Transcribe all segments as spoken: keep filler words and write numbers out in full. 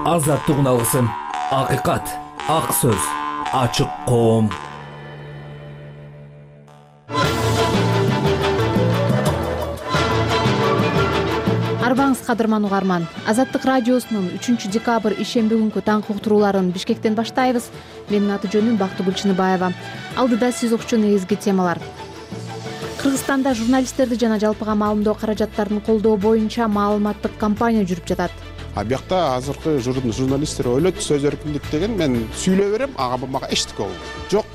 Азаттык алгысым, акыйкат, ак сөз, ачык коом. Арбаңыз кадырман угарман. Азаттык радиосунун үчүнчү декабрь ишемби күнкү таңкы уктурууларын Бишкектен баштайбыз. Менин аты жөнүм Бактыгүл Чыныбаева. Алдыда сиз укчу негизги темалар. Кыргызстанда журналисттерди жана жалпыга маалымдоо каражаттарын колдоо боюнча маалыматтык кампания жүрүп жатат. А биякта азыркы журналисттер ойлойт сөз эркиндик деген мен сүйлөй берем, ага бул мага эчтеке болбойт. Жок,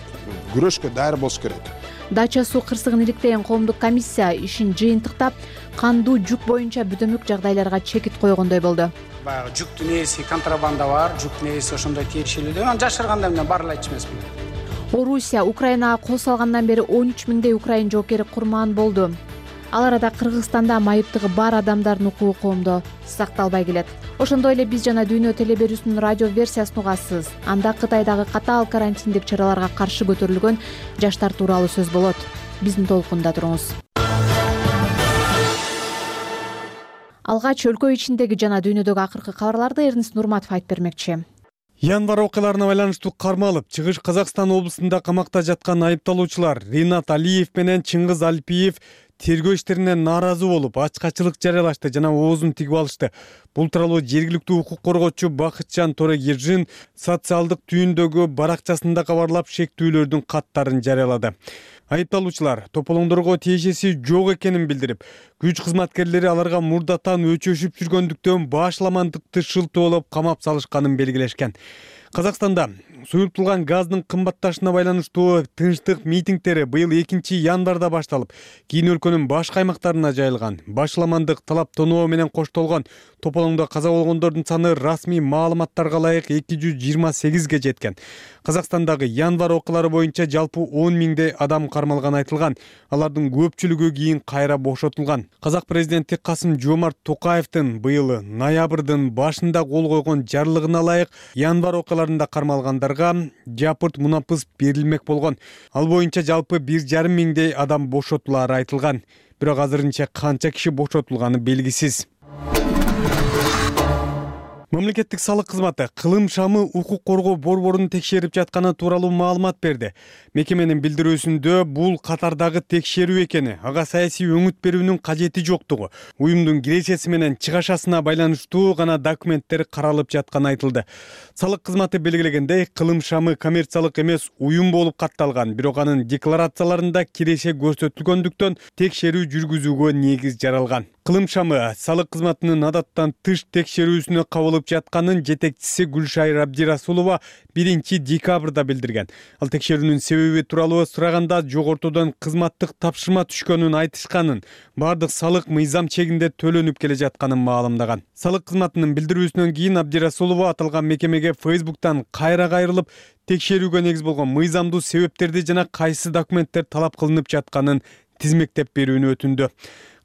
күрөшкө даяр болуш керек. Дача суу кырсыгын иликтеген коомдук комиссия ишин жыйынтыктап, кандуу жүк боюнча бүдөмөк жагдайларга чекит койгондой болду. Баягы жүктүн ээси контрабанда бар, жүктүн ээси ошондой тиешелүү. Аны жашырганда мен баары эле айтчу эмесмин. Орусия Украинага кол салгандан бери он үч миңдей украин жоокери курман болду. Ал арада Кыргызстанда майыптыгы бар адамдардын укугу коомдо сакталбай келет. Ошондой эле биз жана Дүйнө телеберүүсүнүн радио версиясын угасыз. Анда Кытайдагы катаал карантиндик чараларга каршы көтөрүлгөн жаштар тууралуу сөз болот. Биздин толкунда туруңуз. Алгач өлкө ичиндеги жана дүйнөдөгү акыркы кабарларды Эрнис Нурматов айтып бермекчи. Январь окуяларына байланыштуу кармалып, Чыгыш Казакстан облусунда камакта жаткан айыпталуучулар Ринат Алиев менен Чыңгыз Альпиев тергөө иштеринен нааразы болуп, ачкачылык жарыялашты жана оозун тигип алышты. Бул тууралуу жергиликтүү укук коргоочу Бакытжан Торегержин социалдык түйүндөгү баракчасында кабарлап, шектүүлөрдүн каттарын жарыялады. Айыпталуучулар тополоңдорго тиешеси жок экенин билдирип, күч кызматкерлери аларга мурдатан өчөшүп жүргөндүктөн башламандыкты шылтоолоп камап салышканын белгилешкен. Казакстанда суюртулган газдын кымбатташына байланыштуу тынчтык митингдери быйыл экинчи январда башталып, кийин өлкөнүн башка аймактарына жайылган. Башламандык талаптоноо менен коштолгон тополоңдо каза болгондордун саны расмий маалыматтарга ылайык эки жүз жыйырма сегизге жеткен. Казакстандагы январь окуялары боюнча жалпы он миңдей адам кармалганы айтылган. Алардын көпчүлүгү кийин кайра бошотулган. Казак президенти Касым Жомарт Токаевдин быйыл ноябрдын башында кол койгон жарлыгына ылайык январь окуяларында кармалгандарга жапырт мунапыс берилмек болгон. Ал боюнча жалпы бир жарым миңдей адам бошотулары айтылган. Бирок азырынча канча киши бошотулганы белгисиз. Мамлекеттик салык кызматы Кылым шамы укук коргоо борборун текшерип жатканы тууралуу маалымат берди. Мекеменин билдирүүсүндө бул катардагы текшерүү экени, ага саясий өңүт берүүнүн кажети жоктугу, уюмдун киресеси менен чыгашасына байланыштуу гана документтер каралып жатканы айтылды. Салык кызматы белгилегендей, Кылым шамы коммерциялык эмес уюм болуп катталган, бирок анын декларацияларында киреше көрсөтүлгөндүктөн текшерүү жүргүзүүгө негиз жаралган. Кылым шамы салык кызматынын адаттан тыш текшерүүсүнө кабылып жатканын жетекчиси Гүлшайыр Абдирасулова биринчи декабрда билдирген. Ал текшерүүнүн себеби тууралуу сураганда жогортодон кызматтык тапшырма түшкөнүн айтышканын, бардык салык мыйзам чегинде төлөнүп келе жатканын маалымдаган. Салык кызматынын билдирүүсүнөн кийин Абдирасулова аталган мекемеге Фейсбуктан кайра кайрылып, текшерүүгө негиз болгон мыйзамдуу себептерди жана кайсы документтер талап кылынып жатканын тизмектеп берүүнү өтүндү.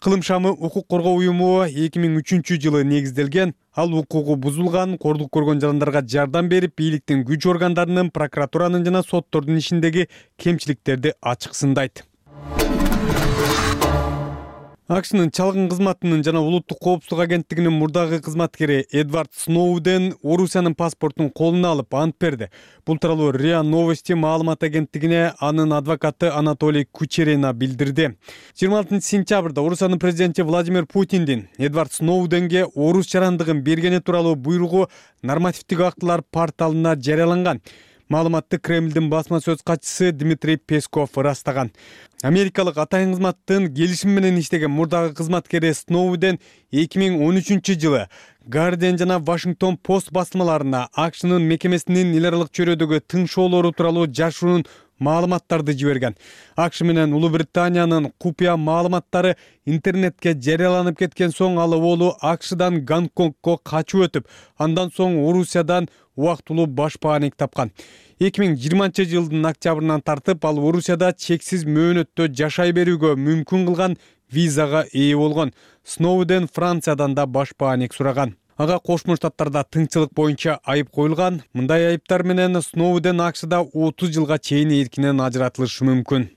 Кылым шамы укук коргоо уюму эки миң үчүнчү жылы негизделген. Ал укугу бузулган, кордук көргөн жандарга жардам берип, бийликтин күч органдарынын, прокуратуранын жана соттордун ишиндеги кемчиликтерди ачык сындайт. АКШнын чалгын кызматынын жана улуттук коопсуздук агенттигинин мурдагы кызматкери Эдвард Сноуден Орусиянын паспортун колуна алып ант берди. Бул тууралуу РИА Новости маалымат агенттигине анын адвокаты Анатолий Кучерина билдирди. жыйырма алтынчы сентябрда Орусиянын президенти Владимир Путиндин Эдвард Сноуденге орус жарандыгын бергени тууралуу буйругу нормативдик актылар порталына жарыяланган. Маалыматты Кремлдин басма сөз катчысы Дмитрий Песков ырастаган. Америкалык атайын кызматтын келишим менен иштеген мурдагы кызматкери Сноуден эки миң он үчүнчү жылы Guardian жана Washington Post басмаларына АКШнын мекемесинин эл аралык чөйрөдөгү тың шоолору тууралуу жашыруун маалыматтарды жиберген. АКШ менен Улуу Британиянын купуя маалыматтары интернетке жарыяланып кеткен соң ал оболу АКШдан Гонконгго качып өтүп, андан соң Орусиядан убактылуу башпааник тапкан. эки миң жыйырманчы жылдын октябрынан тартып ал Орусияда чексиз мөөнөттө жашай берүүгө мүмкүн кылган визага ээ болгон. Сноуден Франциядан да башпааник сураган. Ага Кошмо Штаттарда тыңчылык боюнча айып коюлган. Мындай айыптар менен Сноуден АКШда отуз жылга чейин эркинен ажыратылышы мүмкүн.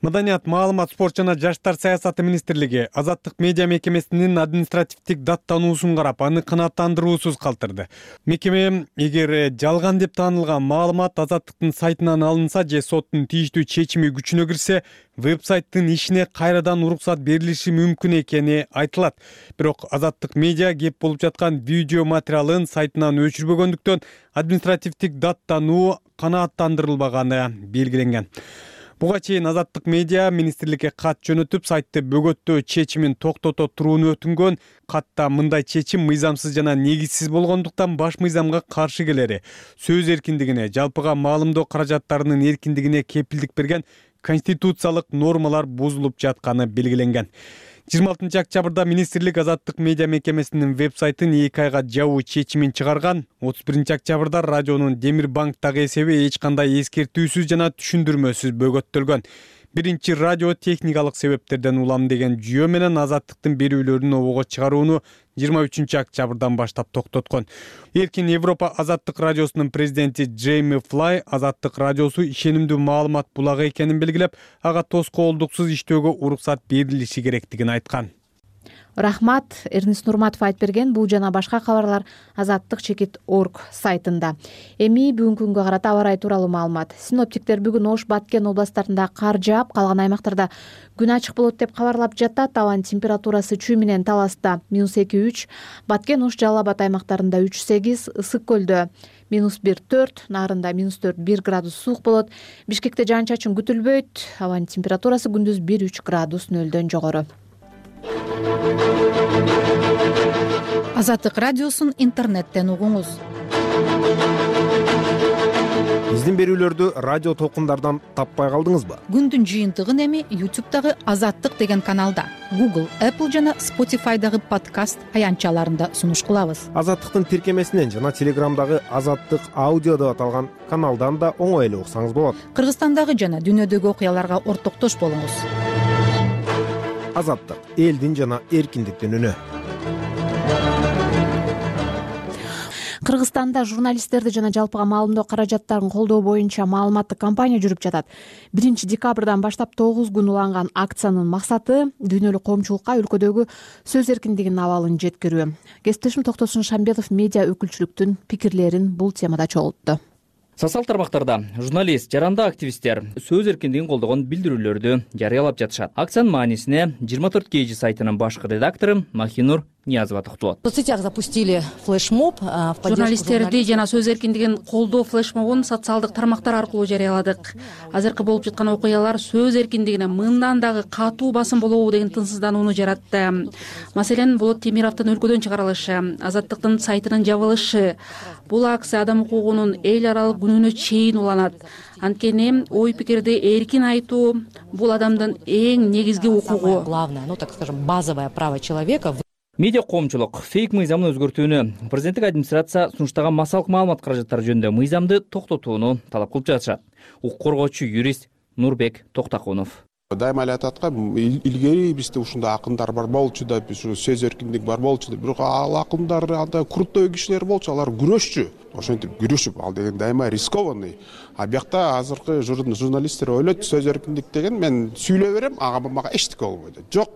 Маданият, маалымат, спорт жана жаштар саясаты министрлиги Азаттык медиа мекемесинин административдик даттануусун карап, аны канааттандыруусуз калтырды. Мекеме эгер жалган деп таанылган маалымат Азаттыктын сайтынан алынса же соттун тийиштүү чечими күчүнө кирсе, веб-сайттын ишине кайрадан уруксат берилиши мүмкүн экени айтылат. Бирок Азаттык медиа кеп болуп жаткан видео материалын сайтынан өчүрбөгөндүктөн административдик даттануу канааттандырылбаганы белгиленген. Буга чейин Азаттык медиа министрликке кат жөнөтүп, сайтты бөгөттөө чечимин токтото турууну өтүнгөн. Катта мындай чечим мыйзамсыз жана негизсиз болгондуктан баш мыйзамга каршы келери, сөз эркиндигине, жалпыга маалымдоо каражаттарынын эркиндигине кепилдик берген конституциялык нормалар бузулуп жатканы белгиленген. жыйырма алтынчы октябрда министрлик Азаттык медиа мекемесинин веб-сайтын эки айга жабуу чечимин чыгарган. отуз биринчи октябрда радионун Демир банктагы эсеби эч кандай эскертүүсүз жана түшүндүрмөсүз бөгөттөлгөн. Биринчи радио техникалык себептерден улам деген жүйө менен Азаттыктын берүүлөрүн обого чыгарууну жыйырма үчүнчү октябрдан баштап токтоткон. Эркин Европа Азаттык радиосунун президенти Джейми Флай Азаттык радиосу ишенимдүү маалымат булагы экенин белгилеп, ага тоскоолдуксуз иштөөгө уруксат берилиши керектигин айткан. Рахмат, Эрнис Нурматов айтып берген. Бул жана башка кабарлар азаттык чекит точка орг сайтында. Эми бүгүнкү күнгө карата аба ырайы тууралуу маалымат. Синоптиктер бүгүн Ош, Баткен областарында кар жаап, калган аймактарда күн ачык болот деп кабарлап жатат. Абанын температурасы Чүй менен Таласта минус эки үч, Баткен, Ош, Жалал Абад аймактарында үч сегиз, Ысык көлдө минус бир төрт, Нарында минус төрт бир градус суук болот. Бишкекте жаан-чачын күтүлбөйт. Абанын температурасы күндүз бир үч градус нөлдөн жогору. Азаттык радиосун интернеттен угуңуз. Биздин берүүлөрдү радио толкундардан таппай калдыңызбы? Күндүн жыйынтыгын эми ютубтагы Азаттык деген каналда, Google, Apple жана Spotify'дагы подкаст аянтчаларында сунуш кылабыз. Азаттыктын тиркемесинен жана Телеграмдагы Азаттык аудио деп аталган каналдан да оңой эле уксаңыз болот. Кыргызстандагы жана дүйнөдөгү окуяларга ортоктош болуңуз. Азаттык — элдин жана эркиндиктин үнү. Кыргызстанда журналисттерди жана жалпыга маалымдоо каражаттарын колдоо боюнча маалыматтык кампания жүрүп жатат. биринчи декабрдан баштап тогуз күн уланган акциянын максаты дүйнөлүк коомчулукка өлкөдөгү сөз эркиндигинин абалын жеткирүү. Кесиптешим Токтосун Шамбетов медиа өкүлчүлүктүн пикирлерин бул темада чогултту. Социалдык тармактарда журналист, жарандык активисттер сөз эркиндигин колдогон билдирүүлөрдү жарыялап жатышат. Акциянын маанисине жыйырма төрт кей жи сайтынын башкы редактору Махинур Ниязова токтолот. В соцсетях запустили флешмоб. Журналисттерди жана сөз эркиндигин колдоо флешмобун социалдык тармактар аркылуу жарыяладык. Азыркы болуп жаткан окуялар сөз эркиндигине мындан дагы катуу басым болобу деген тынчсызданууну жаратты. Маселен, Болот Темировдун өлкөдөн чыгарылышы, Азаттыктын сайтынын жабылышы. Бул акция адам укугунун эл аралык күнүнө чейин уланат. Анткени ой пикирди эркин айтуу бул адамдын эң негизги укугу. Главное, ну так скажем, базовое право человека. Медиа коомчулук фейк мыйзамын өзгөртүүнү, президенттик администрация сунуштаган массалык маалымат каражаттары жөнүндө мыйзамды токтотууну талап кылып жатышат. Укук коргоочу юрист Нурбек Токтакунов. Дайыма эле ататкан, илгери бизде ушундай акындар бар болчу да, биз сөз эркиндик бар болчу да, бирок ал акындар анда курттой кишилер болчу, алар күрөшчү. Ошентип күрөшүп, ал деген дайыма рискованный. А биякта азыркы журналисттер ойлойт, сөз эркиндик деген мен сүйлөй берем, ага мага эчтеке болбойт. Жок,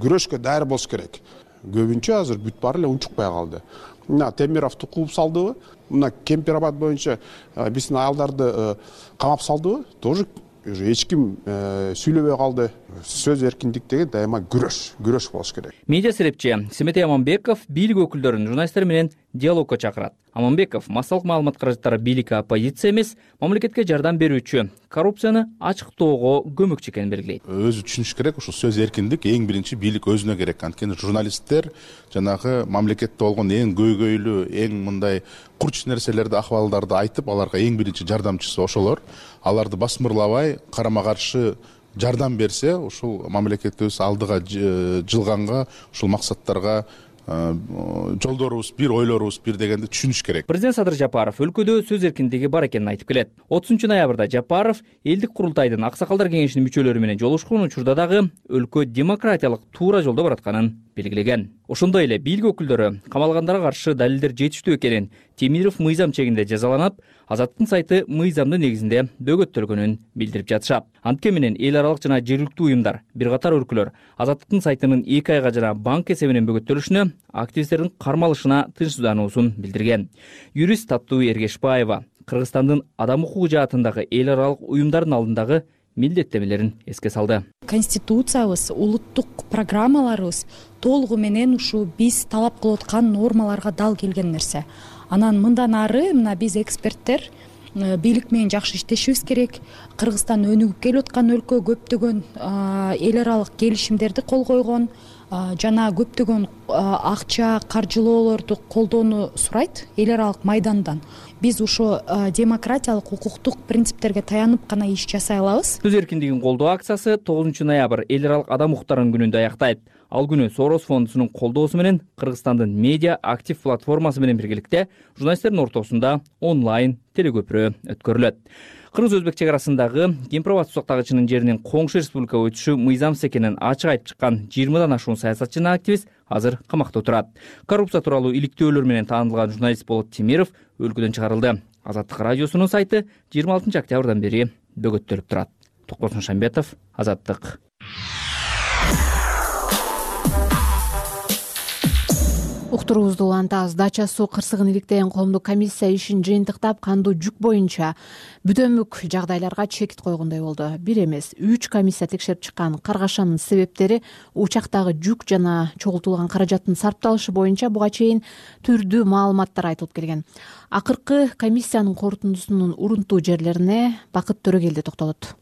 күрөшкө даяр болуш керек. Көбүнчө азыр бүт баары эле унчукпай калды. Мына Темировду кууп салдыбы? Мына Кемпирабад боюнча биздин аялдарды камап салдыбы? Тоже эч ким сүйлөбөй калды. Сөз эркиндик деген дайыма күрөш, күрөш болуш керек. Медиа серепчи Семетей Аманбеков бийлик өкүлдөрүн журналисттер менен диалогко чакырат. Аманбеков массалык маалымат каражаттары бийликке оппозиция эмес, мамлекетке жардам берүүчү, коррупцияны ачыктоого көмөкчү экенин белгилейт. Өзү түшүнүш керек, ушул сөз эркиндик эң биринчи бийлик өзүнө керек. Анткени журналисттер жанагы мамлекетте болгон эң көйгөйлүү, эң мындай курч нерселерди, акыбалдарды айтып, аларга эң биринчи жардамчысы ошолор. Аларды басмырлабай, карама каршы жардам берсе, ушул мамлекетибиз алдыга жылганга, ушул максаттарга жолдорубуз бир, ойлорубуз бир дегенди түшүнүш керек. Президент Садыр Жапаров өлкөдө сөз эркиндиги бар экенин айтып келет. отузунчу ноябрда Жапаров элдик курултайдын аксакалдар кеңешинин мүчөлөрү менен жолугушкан учурда дагы өлкө демократиялык туура жолдо баратканын белгилеген. Ошондой эле бийлик өкүлдөрү камалгандарга каршы далилдер жетиштүү экенин Темиров мыйзам чегинде жазаланып, Азаттыктын сайты мыйзамдын негизинде бөгөттөлгөнүн билдирип жатышат. Антке менен эл аралык жана жергиликтүү уюмдар, бир катар өлкөлөр Азаттыктын сайтынын эки айга жана банк эсебинен бөгөттөлүшүнө, активисттердин кармалышына тынчсыздануусун билдирген. Юрист Таттуу Эргешбаева Кыргызстандын адам укугу жаатындагы эл аралык уюмдардын алдындагы милдеттемелерин эске салды. Конституциябыз, улуттук программаларыбыз толугу менен ушу биз талап кылып аткан нормаларга дал келген нерсе. Анан мындан ары мына биз эксперттер бийлик менен жакшы иштешибиз керек. Кыргызстан өнүгүп келип аткан өлкө, көптөгөн эл аралык келишимдерди кол койгон жана көптөгөн акча, каржылоолорду колдоону сурайт эл аралык майдандан. Биз ушул демократиялык, укуктук принциптерге таянып гана иш жасай алабыз. Сөз эркиндигин колдоо акциясы тогузунчу ноябрь эл аралык адам укуктарынын күнүндө аяктайт. Ал күнү Сорос фондунун колдоосу менен Кыргызстандын медиа актив платформасы менен биргеликте журналисттердин ортосунда онлайн телекөпүрө өткөрүлөт. Кыргыз-Өзбек чек арасындагы Кемпир-Абад сактагычынын жеринин коңшу республикага өтүшү мыйзамсыз экенин ачык айтып чыккан жыйырмадан ашуун саясатчы жана активист азыр камакта отурат. Коррупция тууралуу иликтөөлөр менен таанылган журналист Болот Темиров өлкөдөн чыгарылды. Азаттык радиосунун сайты жыйырма алтынчы октябрдан бери бөгөттөлүп турат. Токбосун Шамбетов, Азаттык. Уктуруубузду улантабыз. Дача суу кырсыгын иликтеген коомдук комиссия ишин жыйынтыктап, кандуу жүк боюнча бүдөмүк жагдайларга чекит койгондой болду. Бир эмес, үч комиссия текшерип чыккан каргашанын себептери учактагы жүк жана чогултулган каражаттын сарпталышы боюнча буга чейин түрдүү маалыматтар айтылып келген. Акыркы комиссиянын корутундусунун урунтуу жерлерине Бакыт Төрөгелди токтолот.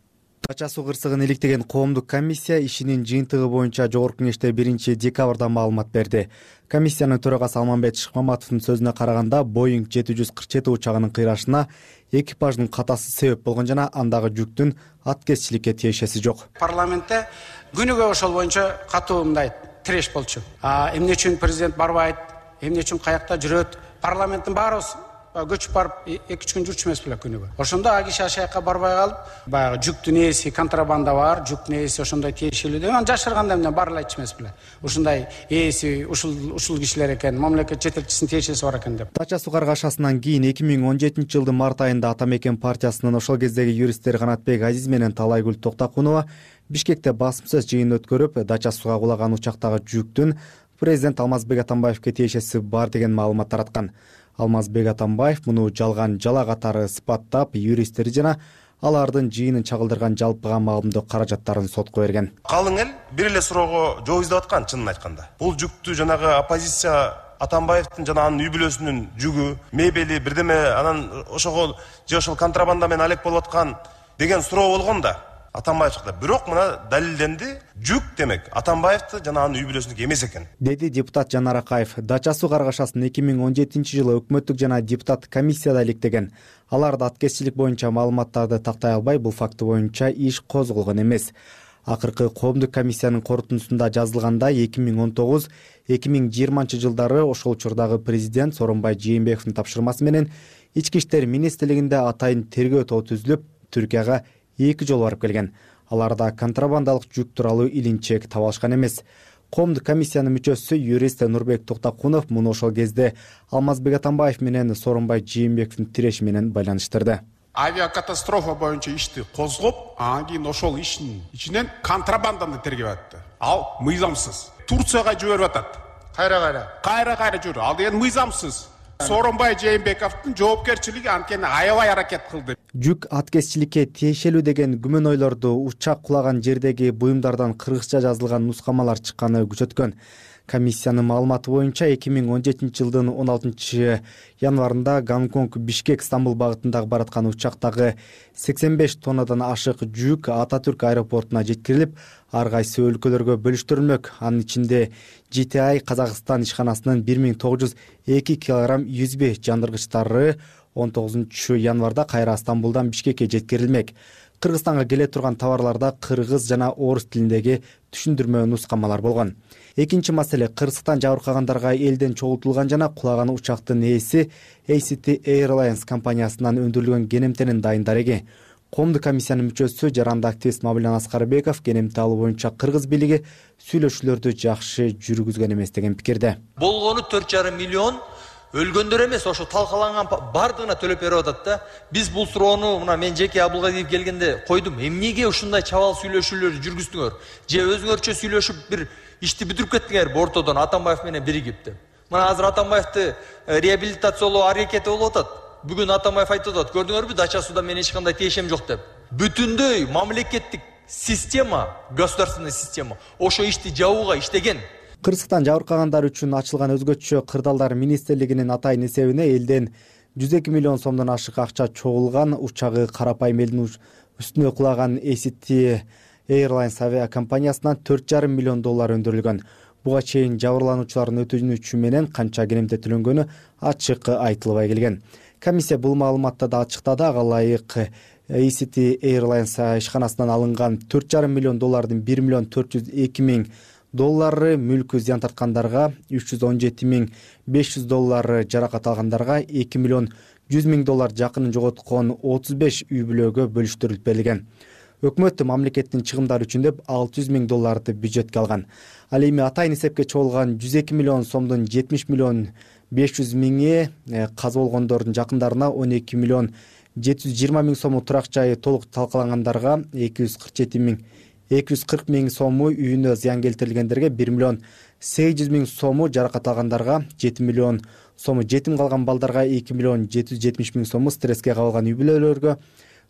Дача суу кырсыгын иликтеген коомдук комиссия ишинин жыйынтыгы боюнча Жогорку Кеңеште биринчи декабрда маалымат берди. Комиссиянын төрагасы Алмамбет Шыкмаматовдун сөзүнө караганда, Боинг жети жүз кырк жети учагынын кыйрашына экипаждын катасы себеп болгон жана андагы жүктүн аткезчиликке тиешеси жок. Парламентте күнүгө ошол боюнча катуу мындай тиреш болчу. Эмне үчүн президент барбайт, эмне үчүн каякта жүрөт? Парламенттин баарыбыз көчүп барып эки үч күн жүрчү эмес беле күнүгө. Ошондо а киши ашаякка барбай калып, баягы жүктүн ээси контрабанда бар, жүктүн ээси ошондой тиешелүү деп, анан жашырганда эмне барлайчы эмес беле. Ушундай ээси ушул ушул кишилер экен, мамлекет жетекчисинин тиешеси бар экен деп. Дача суу каргашасынан кийин эки миң он жетинчи жылдын март айында Ата Мекен партиясынын ошол кездеги юристтери Канатбек Азиз менен Талайгүл Токтакунова Бишкекте басым сөз жыйын өткөрүп, дача сууга кулаган учактагы жүктүн президент Алмазбек Атамбаевке тиешеси бар деген маалымат тараткан. Алмазбек Атамбаев муну жалган жала катары сыпаттап, юристтери жана алардын жыйынын чагылдырган жалпыга маалымдоо каражаттарын сотко берген. Калың эл бир эле суроого жооп издеп аткан, чынын айтканда. Бул жүктү жанагы оппозиция Атамбаевдин жана анын үй бүлөсүнүн жүгү, мебели, бирдеме анан ошого же ошол контрабанда менен алек болуп аткан деген суроо болгон да. Атамбаев чыкты. Бирок мына далилденди, жүк демек Атамбаевди жана анын үй бүлөсүнүкү эмес экен. Деди депутат Жанар Акаев. Дача суу каргашасын эки миң он жетинчи жылы өкмөттүк жана депутат комиссияда иликтеген. Алар аткезчилик боюнча маалыматтарды тактай албай, бул факты боюнча иш козголгон эмес. Акыркы коомдук комиссиянын корутундусунда жазылгандай, эки миң он тогуз эки миң жыйырманчы жылдары ошол учурдагы президент Сооронбай Жээнбековдун тапшырмасы менен ички иштер министрлигинде атайын тергөө тобу түзүлүп, Түркияга эки жолу барып келген. Аларда контрабандалык жүк тууралуу илинчек таба алышкан эмес. Коомдук комиссиянын мүчөсү юрист Нурбек Токтакунов муну ошол кезде Алмазбек Атамбаев менен Сооронбай Жээнбековдун тиреши менен байланыштырды. Авиакатастрофа боюнча ишти козгоп, анан кийин ошол иштин ичинен контрабанданы тергеп атты. Ал мыйзамсыз. Турцияга жиберип атат. Кайра-кайра. Кайра-кайра жүрү. Ал деген мыйзамсыз. Сооронбай Жээнбековдун жоопкерчилиги анткени аябай аракет кылды. Жүк аткезчиликке тиешелүү деген күмөнөйлөрдү учак кулаган жердеги буюмдардан кыргызча жазылган нускамалар чыкканы күчөткөн. Комиссиянын маалыматы боюнча эки миң он жетинчи жылдын он алтынчы январында Гонконг Бишкек Стамбул багытындагы бараткан учактагы сексен беш тоннадан ашык жүк Ататүрк аэропортуна жеткирилип, ар кайсы өлкөлөргө бөлүштүрүлмөк. Анын ичинде Джи Ти Ай Казакстан ишканасынын бир миң тогуз жүз эки килограмм юзби жандыргычтары он тогузунчу январда кайра Стамбулдан Бишкекке жеткирилмек. Кыргызстанга келе турган товарларда кыргыз жана орус тилиндеги түшүндүрмө нускамалар болгон. Экинчи маселе, кырсыктан жабыркагандарга элден чогултулган жана кулаган учактын ээси A C T Airlines компаниясынан өндүрүлгөн кенемтенин дайын дареги. коомдук комиссиянын мүчөсү жарандык активист Мамилен Аскарбеков кенемти алуу боюнча кыргыз бийлиги сүйлөшүүлөрдү жакшы жүргүзгөн эмес деген пикирде. Болгону төрт жарым миллион өлгөндөр эмес, ошо талкаланган бардыгына төлөп берип атат да. Биз бул суроону мына мен жеке Абылгадиев келгенде койдум. Эмнеге ушундай чабал сүйлөшүүлөрдү жүргүздүңөр? Же өзүңөрчө сүйлөшүп бир ишти бүтүрүп кеттиңерби ортодон Атамбаев менен биригип деп. Мына азыр Атамбаевди реабилитациялоо аракети болуп атат. Бүгүн Атамбаев айтып атат, көрдүңөрбү, дача суда мен эч кандай тиешем жок деп. Бүтүндөй мамлекеттик система, государственный система ошо ишти жабууга иштеген. Кырсыктан жабыркагандар үчүн ачылган өзгөчө кырдаалдар министрлигинин атайын эсебине элден жүз эки миллион сомдон ашык акча чогулган, учагы карапайым элдин үстүнө кулаган A C T Airlines авиакомпаниясынан төрт жарым миллион доллар өндүрүлгөн. Буга чейин жабырлануучулардын өтүнүчү менен канча кенемте төлөнгөнү ачык айтылбай келген. Комиссия бул маалыматты да ачыктады. Ага ылайык A C T Airlines ишканасынан алынган төрт жарым миллион доллардын бир миллион төрт жүз эки миң доллары мүлкү зыян тарткандарга, үч жүз он жети миң беш жүз доллары жаракат алгандарга, эки миллион жүз миң доллар жакынын жоготкон отуз беш үй бүлөгө бөлүштүрүлүп берилген. Өкмөт мамлекеттин чыгымдары үчүн деп алты жүз миң долларды бюджетке алган. Ал эми атайын эсепке чогулган жүз эки миллион сомдун жетимиш миллион беш жүз миңи каза болгондордун жакындарына, он эки миллион жети жүз жыйырма миң сому турак жайы толук талкалангандарга, эки жүз кырк жети миң эки жүз кырк миң сому үйүнө зыян келтирилгендерге, бир миллион сегиз жүз миң сому жаракат алгандарга, жети миллион сому жетим калган балдарга, эки миллион жети жүз жетимиш миң сому стресске кабылган үй бүлөлөргө,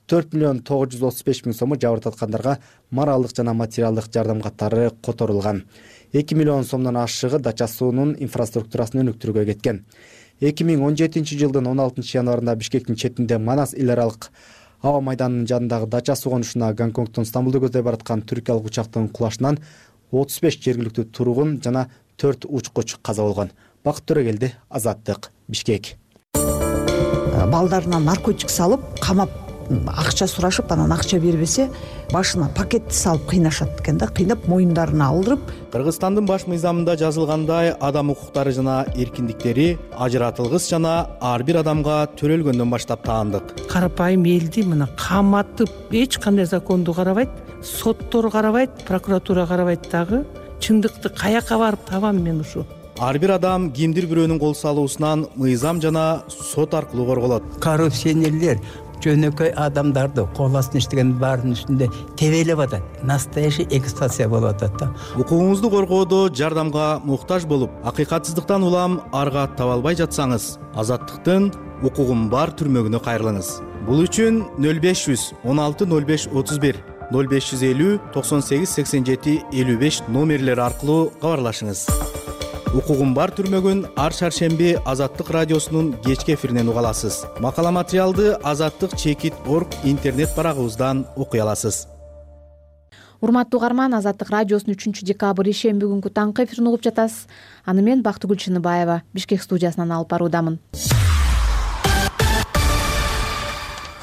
төрт миллион тогуз жүз отуз беш миң сому жабыр тарткандарга моралдык жана материалдык жардам катары которулган. эки миллион сомдон ашыгы дача суунун инфраструктурасын өнүктүрүүгө кеткен. эки миң он жетинчи жылдын он алтынчы январында Бишкектин четинде Манас эл аралык аба майданынын жанындагы дача суу конушуна Гонконгдон Стамбулду көздөй бараткан түркиялык учактын кулашынан отуз беш жергиликтүү тургун жана төрт учкуч каза болгон. Бакыт Төрөгелди, Азаттык, Бишкек. Балдарына наркотик салып, камап акча сурашып, анан акча бербесе, башына пакетти салып кыйнашат экен да, кыйнап моюндарына алдырып. Кыргызстандын баш мыйзамында жазылгандай, адам укуктары жана эркиндиктери ажыратылгыс жана ар бир адамга төрөлгөндөн баштап таандык. Карапайым элди мына каматып, эч кандай законду карабайт, соттор карабайт, прокуратура карабайт дагы. Чындыкты каяка барып табам мен ушу? Ар бир адам кимдир бирөөнүн кол салуусунан мыйзам жана сот аркылуу корголот. Коррупционерлер жөнөкөй адамдарды кол астына иштеген баарынын үстүндө тебелеп атат. Настоящий эксплуатация болуп атат да. Укугуңузду коргоодо жардамга муктаж болуп, акыйкатсыздыктан улам арга таба албай жатсаңыз, Азаттыктын укугум бар түрмөгүнө кайрылыңыз. Бул үчүн нөл беш жүз он алты нөл беш отуз бир, нөл беш жүз элүү токсон сегиз сексен жети элүү беш номерлери аркылуу кабарлашыңыз. Укугум бар түрмөгүн ар шаршемби Азаттык радиосунун кечки эфиринен уга аласыз. Макала материалды азаттык чекит точка орг интернет барагыбыздан окуй аласыз. Урматтуу угарман, Азаттык радиосунун үчүнчү декабрь ишемби күнгү таңкы эфирин угуп жатасыз. Аны мен Бактыгүл Чыныбаева Бишкек студиясынан алып баруудамын.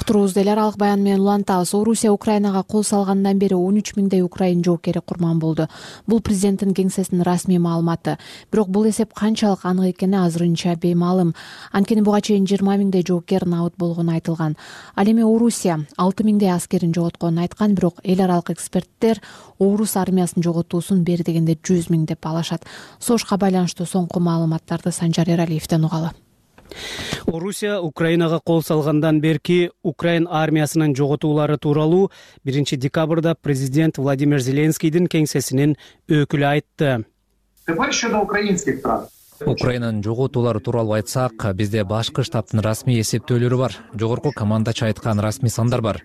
Уктуруубузду эл аралык баян менен улантабыз. Орусия Украинага кол салгандан бери он үч миңдей украин жоокери курман болду. Бул президенттин кеңсесинин расмий маалыматы. Бирок бул эсеп канчалык анык экени азырынча беймаалым. Анткени буга чейин жыйырма миңдей жоокер набыт болгону айтылган. Ал эми Орусия алты миңдей аскерин жоготконун айткан, бирок эл аралык эксперттер Орус армиясын жоготуусун бери дегенде жүз миң деп балашат. Согушка байланыштуу соңку маалыматтарды Санжар Эралиевден угалы. Орусия Украинага кол салгандан берки Украин армиясынын жоготуулары тууралуу биринчи декабрда президент Владимир Зеленскийдин кеңсесинин өкүлү айтты. Украинанын жоготуулары тууралуу айтсак, бизде башкы штабтын расмий эсептөөлөрү бар. Жогорку командачы айткан расмий сандар бар.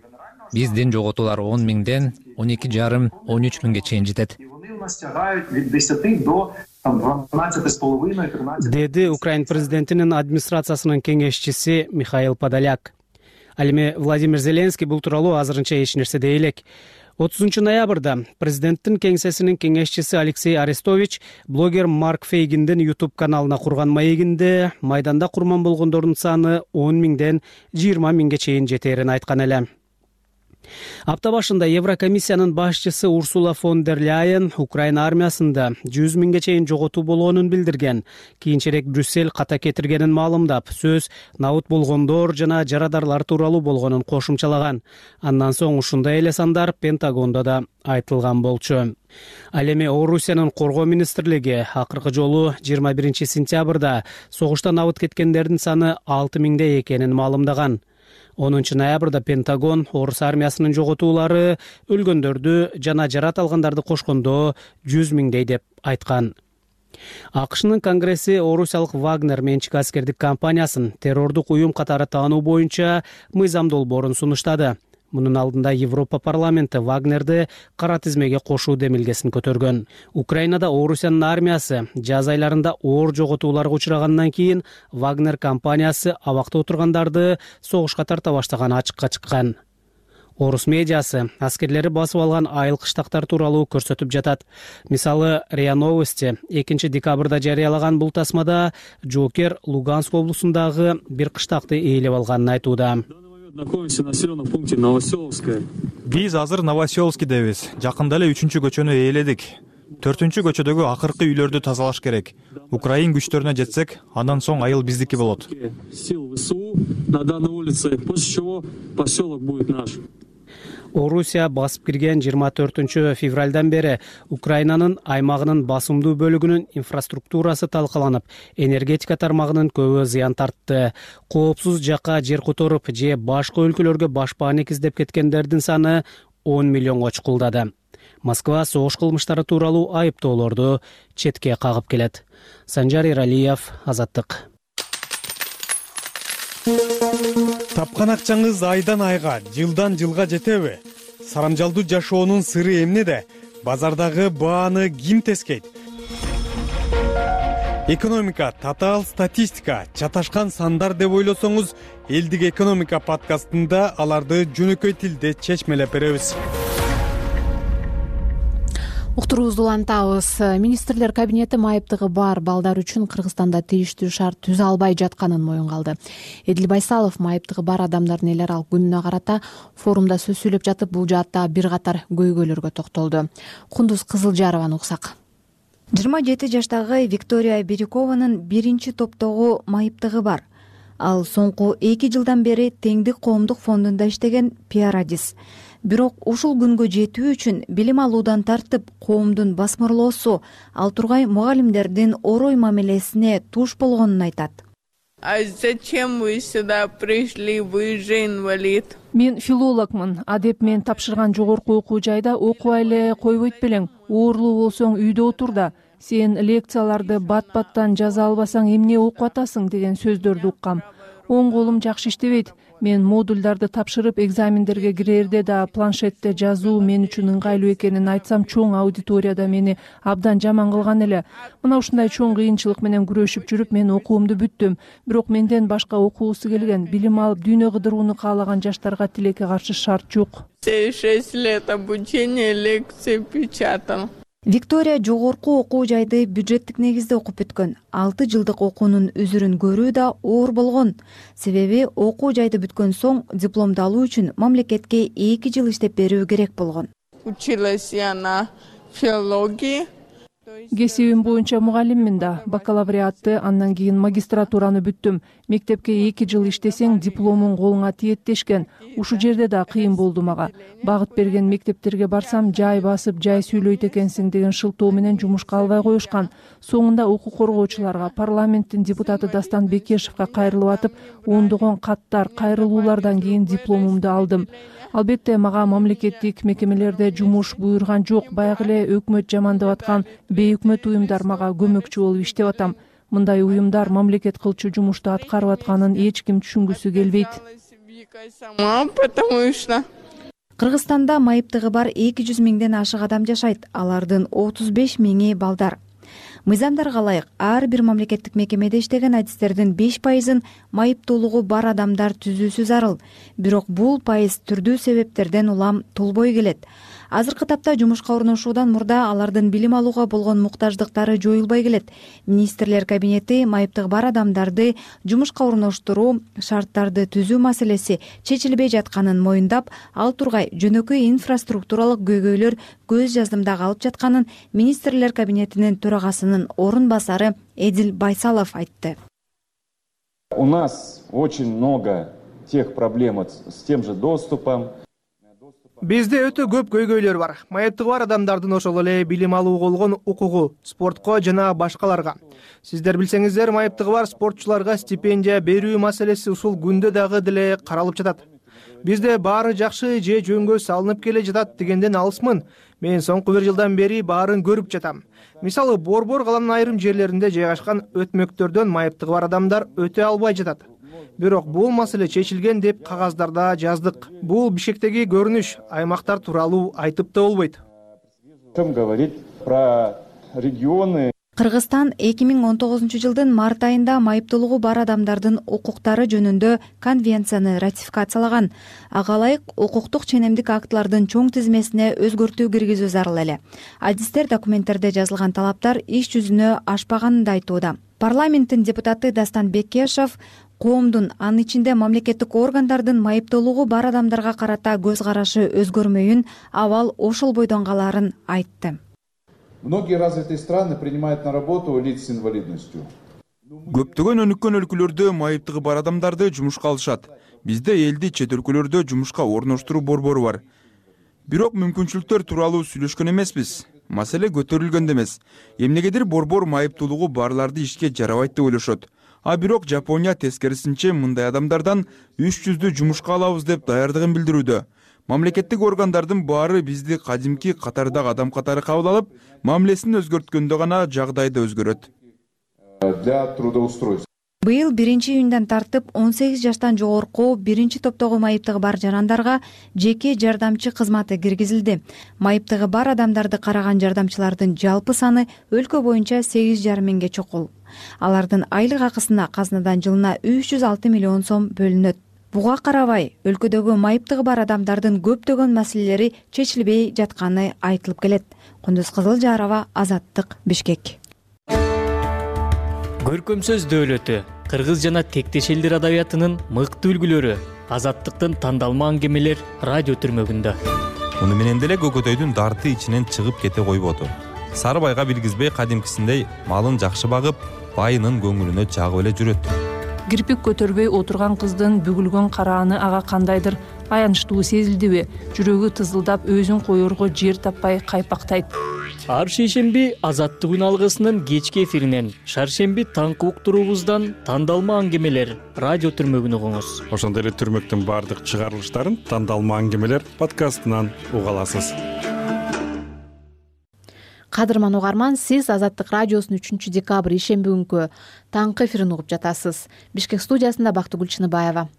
Биздин жоготуулар он миңден он эки жарым он үч миңге чейин жетет. Деди Украин президентинин администрациясынын кеңешчиси Михаил Подоляк. Ал эми Владимир Зеленский бул тууралуу азырынча эч нерсе дей элек. отузунчу ноябрда президенттин кеңсесинин кеңешчиси Алексей Арестович блогер Марк Фейгиндин YouTube каналына курган маегинде майданда курман болгондордун саны он миңден жыйырма миңге чейин жетерин айткан эле. Апта башында Еврокомиссиянын башчысы Урсула фон дер Ляйен Украина армиясында жүз миңге чейин жоготуу болгонун билдирген. Кийинчерээк Брюссель ката кетиргенин маалымдап, сөз набыт болгондор жана жарадарлар тууралуу болгонун кошумчалаган. Андан соң ушундай эле сандар Пентагондо да айтылган болчу. Ал эми Орусиянын коргоо министрлиги акыркы жолу жыйырма биринчи сентябрда согуштан набыт кеткендердин саны алты миңде экенин маалымдаган. онунчу ноябрда Пентагон Орус армиясынын жоготуулары өлгөндөрдү жана жарат алгандарды кошкондо жүз миңдей деп айткан. АКШнын Конгресси орусиялык Вагнер менчик аскердик компаниясын террордук уюм катары таануу боюнча мыйзам долбоорун сунуштады. Мунун алдында Европа парламенти Вагнерди кара тизмеге кошуу демилгесин көтөргөн. Украинада Орусиянын армиясы жаз айларында оор жоготууларга учрагандан кийин Вагнер компаниясы абакта отургандарды согушка тарта баштаганы ачыкка чыккан. Орус медиасы аскерлери басып алган айыл кыштактар тууралуу көрсөтүп жатат. Мисалы, РИА Новости экинчи декабрда жарыялаган бул тасмада жоокер Луганск облусундагы бир кыштакты ээлеп алганын айтууда. Находимся в населенном пункте Новоселовское. Биз азыр Новоселовскийдебиз. Жакында эле үчүнчү көчөнү ээледик. Төртүнчү көчөдөгү акыркы үйлөрдү тазалаш керек. Украин күчтөрүнө жетсек, андан соң айыл биздики болот. Сил ВСУ на данной улице, после чего поселок будет наш. Орусия басып кирген жыйырма төртүнчү февралдан бери Украинанын аймагынын басымдуу бөлүгүнүн инфраструктурасы талкаланып, энергетика тармагынын көбү зыян тартты. Коопсуз жакка жер которуп же башка өлкөлөргө башпаанек издеп кеткендердин саны он миллионго чукулдады. Москва согуш кылмыштары тууралуу айыптоолорду четке кагып келет. Санжар Эралиев, Азаттык. Тапкан акчаңыз айдан айга, жылдан жылга жетеби? Сарамжалдуу жашоонун сыры эмнеде? Базардагы бааны ким тескейт? Экономика, татаал статистика, чаташкан сандар деп ойлосоңуз, Элдик экономика подкастында аларды жөнөкөй тилде чечмелеп беребиз. Уктуруубузду улантабыз. Министрлер кабинети майыптыгы бар балдар үчүн Кыргызстанда тийиштүү шарт түзө албай жатканын моюнга алды. Эдил Байсалов майыптыгы бар адамдардын эл аралык күнүнө карата форумда сөз сүйлөп жатып, бул жаатта бир катар көйгөйлөргө токтолду. Кундуз Кызылжарованы уксак. жыйырма жети жаштагы Виктория Бирюкованын биринчи топтогу майыптыгы бар. Ал соңку эки жылдан бери Теңдик коомдук фондунда иштеген пиарадис. Бирок ушул күнгө жетүү үчүн билим алуудан тартып коомдун басмырлоосу, ал тургай мугалимдердин орой мамилесине туш болгонун айтат. А зачем вы сюда пришли? Вы же инвалид. Мен филологмун. Адеп мен тапшырган жогорку окуу жайда окубай эле койбойт белең. Оорлуу болсоң үйдө отур да. Сен лекцияларды бат-баттан жаза албасаң эмне окуп атасың деген сөздөрдү уккам. Оң колум жакшы иштебейт. Мен модулдарды тапшырып экзамендерге кирерде да планшетте жазуу мен үчүн ыңгайлуу экенин айтсам, чоң аудиторияда мени абдан жаман кылган эле. Мына ушундай чоң кыйынчылык менен күрөшүп жүрүп мен окуумду бүттүм. Бирок менден башка окуусу келген, билим алып дүйнө кыдырууну каалаган жаштарга тилекке каршы шарт жок. шесть лет обучения, лекции печатал. Виктория жогорку окуу жайды бюджеттик негизде окуп бүткөн. алты жылдык окуунун үзүрүн көрүү да оор болгон. Себеби окуу жайды бүткөн соң дипломду алуу үчүн мамлекетке эки жыл иштеп берүү керек болгон. Училась я на филологии. Кесибим боюнча мугалиммин да. Бакалавриатты, андан кийин магистратураны бүттүм. Мектепке эки жыл иштесең дипломуң колуңа тиет дешкен. Ушу жерде да кыйын болду мага. Багыт берген мектептерге барсам, жай басып, жай сүйлөйт экенсиң деген шылтоо менен жумушка албай коюшкан. Соңунда укук коргоочуларга, парламенттин депутаты Дастан Бекешевге кайрылып атып, ондогон каттар, кайрылуулардан кийин дипломумду алдым. Албетте мага мамлекеттик мекемелерде жумуш буйрган жок. Баягы эле өкмөт жамандап аткан бейөкмөт уюмдар мага көмөкчү болуп иштеп атам. Мындай уюмдар мамлекет кылчу жумушту аткарып атканын эч ким түшүнгүсү келбейт. Кыргызстанда майыптыгы бар эки жүз миңден ашык адам жашайт. Алардын отуз беш миңи балдар. Мыйзамдарга ылайык ар бир мамлекеттик мекемеде иштеген адистердин беш пайызын майыптуулугу бар адамдар түзүүсү зарыл. Бирок бул пайыз түрдүү себептерден улам толбой келет. Азыркы тапта жумушка орношуудан мурда алардын билим алууга болгон муктаждыктары жоюлбай келет. Министрлер кабинети майыптыгы бар адамдарды жумушка орноштуруу шарттарды түзүү маселеси чечилбей жатканын моюндап, ал тургай жөнөкөй инфраструктуралык көйгөйлөр көз жаздымда калып жатканын Министрлер кабинетинин төрагасынын орун басары Эдил Байсалов айтты. У нас очень много тех проблем с тем же доступом. Бизде өтө көп көйгөйлөр бар. Майыптыгы бар адамдардын ошол эле билим алууга болгон укугу, спортко жана башкаларга. Сиздер билсеңиздер, майыптыгы бар спортчуларга стипендия берүү маселеси ушул күндө дагы деле каралып жатат. Бизде баары жакшы же жөнгө салынып келе жатат дегенден алысмын. Мен соңку бир жылдан бери баарын көрүп жатам. Мисалы, Борбор каланын айрым жерлеринде жайгашкан өтмөктөрдөн майыптыгы бар адамдар өтө албай жатат. Бирок бул маселе чечилген деп кагаздарда жаздык. Бул Бишкектеги көрүнүш, аймактар тууралуу айтып да болбойт. Чем говорить про регионы? Кыргызстан эки миң он тогузунчу жылдын март айында майыптуулугу бар адамдардын укуктары жөнүндө конвенцияны ратификациялаган. Ага ылайык укуктук ченемдик актылардын чоң тизмесине өзгөртүү киргизүү зарыл эле. Адистер документтерде жазылган талаптар иш жүзүнө ашпаганын да айтууда. Парламенттин депутаты Дастан Бекешев коомдун, анын ичинде мамлекеттик органдардын майыптуулугу бар адамдарга карата көз карашы өзгөрмөйүн, абал ошол бойдон калаарын айтты. Многие развитые страны принимают на работу лиц с инвалидностью. Көптөгөн өнүккөн өлкөлөрдө майыптыгы бар адамдарды жумушка алышат. Бизде элди чет өлкөлөрдө жумушка орноштуруу борбору бар. Бирок мүмкүнчүлүктөр тууралуу сүйлөшкөн эмеспиз. Маселе көтөрүлгөн эмес. Эмнегедир борбор майыптуулугу барларды ишке жарабайт деп ойлошот. А бирок Жапония тескерисинче мындай адамдардан үч жүздү жумушка алабыз деп даярдыгын билдирүүдө. Мамлекеттик органдардын баары бизди кадимки катардагы адам катары кабыл алып, мамилесин өзгөрткөндө гана жагдайды өзгөрөт. Для трудоустройства. Быйыл биринчи июндан тартып он сегиз жаштан жогорку биринчи топтогу майыптыгы бар жарандарга жеке жардамчы кызматы киргизилди. Майыптыгы бар адамдарды караган жардамчылардын жалпы саны өлкө боюнча сегиз жарым миңге чукул. Алардын айлык акысына казнадан жылына үч жүз алты миллион сом бөлүнөт. Буга карабай, өлкөдөгү майыптыгы бар адамдардын көптөгөн маселелери чечилбей жатканы айтылып келет. Кундуз Кызылжарова, Азаттык, Бишкек. Көркөм сөз дөөлөтү, кыргыз жана тектеш элдер адабиятынын мыкты үлгүлөрү, Азаттыктын тандалма аңгемелер радио түрмөгүндө. Муну менен деле Көкөтөйдүн дарты ичинен чыгып кете койбоду. Сарыбайга билгизбей кадимкисиндей малын жакшы багып, байынын көңүлүнө жагып эле жүрөт. Кирпик көтөрбөй отурган кыздын бүгүлгөн карааны ага кандайдыр аянычтуу сезилдиби? Жүрөгү тызылдап, өзүн коерго жер таппай кайпактайт. Ар шейшемби Азаттык үн алгысынын кечки эфиринен, шаршемби таңкы уктуруубуздан тандалма аңгемелер радио түрмөгүн угуңуз. Ошондой эле түрмөктүн баардык чыгарылыштарын тандалма аңгемелер подкастынан уга аласыз. Кадырман угарман, сиз Азаттык радиосунун үчүнчү декабрь ишемби күнкү таңкы эфирин угуп жатасыз. Бишкек студиясында Бактыгүл Чыныбаева.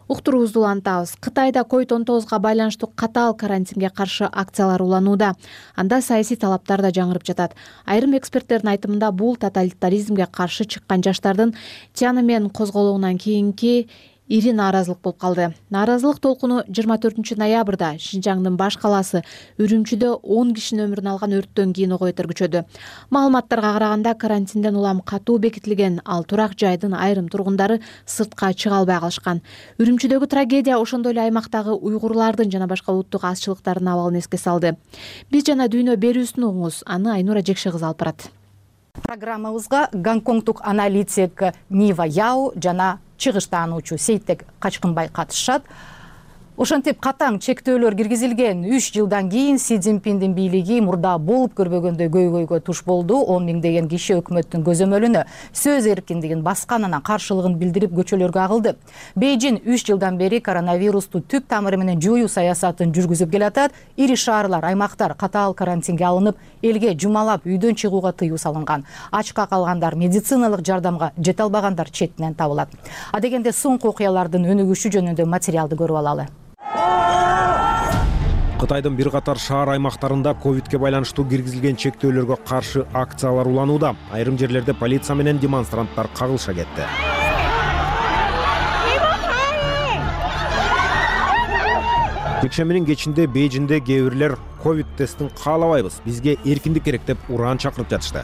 Уктуруубузду улантабыз. Кытайда ковид он тогузга байланыштуу катаал карантинге каршы акциялар уланууда. Анда саясий талаптар да жаңырып жатат. Айрым эксперттердин айтымында бул тоталитаризмге каршы чыккан жаштардын Тяньаньмэнь козголоонунан кийинки ири нааразылык болуп калды. Нааразылык толкуну жыйырма төртүнчү ноябрда Шинжаңдын баш калаасы Үрүмчүдө он кишинин өмүрүн алган өрттөн кийин ого-бетер күчөдү. Маалыматтарга караганда карантинден улам катуу бекитилген, ал турак жайдын айрым тургундары сыртка чыга албай калышкан. Үрүмчүдөгү трагедия ошондой эле аймактагы уйгурлардын жана башка улуттук азчылыктардын абалын эске салды. Биз жана дүйнө берүүсүн угуңуз, аны Айнура Жекше кызы алып барат. Программабызга гонконгдук аналитик Нива Яо жана чыгыштаануучу Сейтек Качкынбай катышат. Ошентип катаң чектөөлөр киргизилген үч жылдан кийин Си Цзиньпиндин бийлиги мурда болуп көрбөгөндөй көйгөйгө туш болду. он миңдеген киши өкмөттүн көзөмөлүнө сөз эркиндигин басканына каршылыгын билдирип көчөлөргө агылды. Бейжин үч жылдан бери коронавирусту түп тамыры менен жоюу саясатын жүргүзүп келатат. Ири шаарлар, аймактар катаал карантинге алынып, элге жумалап үйдөн чыгууга тыюу салынган. Ачка калгандар, медициналык жардамга жете албагандар четинен табылат. А дегенде соңку окуялардын өнүгүшү жөнүндө материалды көрүп алалы. Кытайдын бир катар шаар аймактарында ковидке байланыштуу киргизилген чектөөлөргө каршы акциялар уланууда. Айрым жерлерде полиция менен демонстранттар кагылыша кетти. жекшембинин кечинде Бейжиңде кээ бирлер ковид тестин каалабайбыз, бизге эркиндик керек деп ураан чакырып жатышты.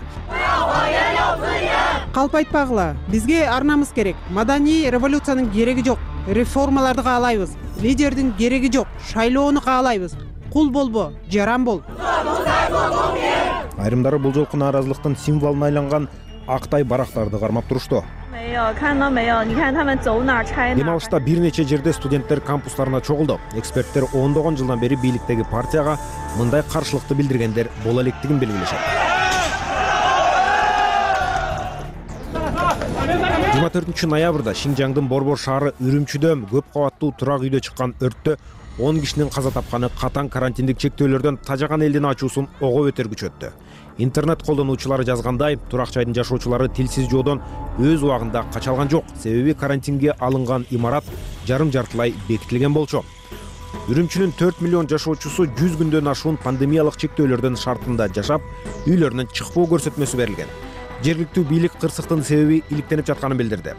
Калп айтпагыла, бизге ар намыс керек. Маданий революциянын кереги жок. Реформаларды каалайбыз. Лидердин кереги жок. Шайлоону каалайбыз. Кул болбо, жаран бол. Айрымдары бул жолку нааразылыктын символуна айланган актай барактарды кармап турушту. Дем алышта бир нече жерде студенттер кампустарына чогулду. Эксперттер ондогон жылдан бери бийликтеги партияга мындай каршылыкты билдиргендер боло электигин белгилешет. жыйырма төртүнчү ноябрда Шинжаңдын Борбор шаары Үрүмчүдө көп кабаттуу турак үйдө чыккан өрттө он кишинин каза тапканы катаң карантиндик чектөөлөрдөн тажаган элдин ачуусун ого бетер күчөттү. Интернет колдонуучулары жазгандай, турак жайдын жашоочулары тилсиз жоодон өз убагында кача алган жок, себеби карантинге алынган имарат жарым жартылай бекитилген болчу. Үрүмчүнүн төрт миллион жашоочусу жүз күндөн ашуун пандемиялык чектөөлөрдүн шартында жашап, үйлөрүнөн чыкпоо көрсөтмөсү берилген. Жергиликтүү бийлик кырсыктын себеби иликтенип жатканын билдирди.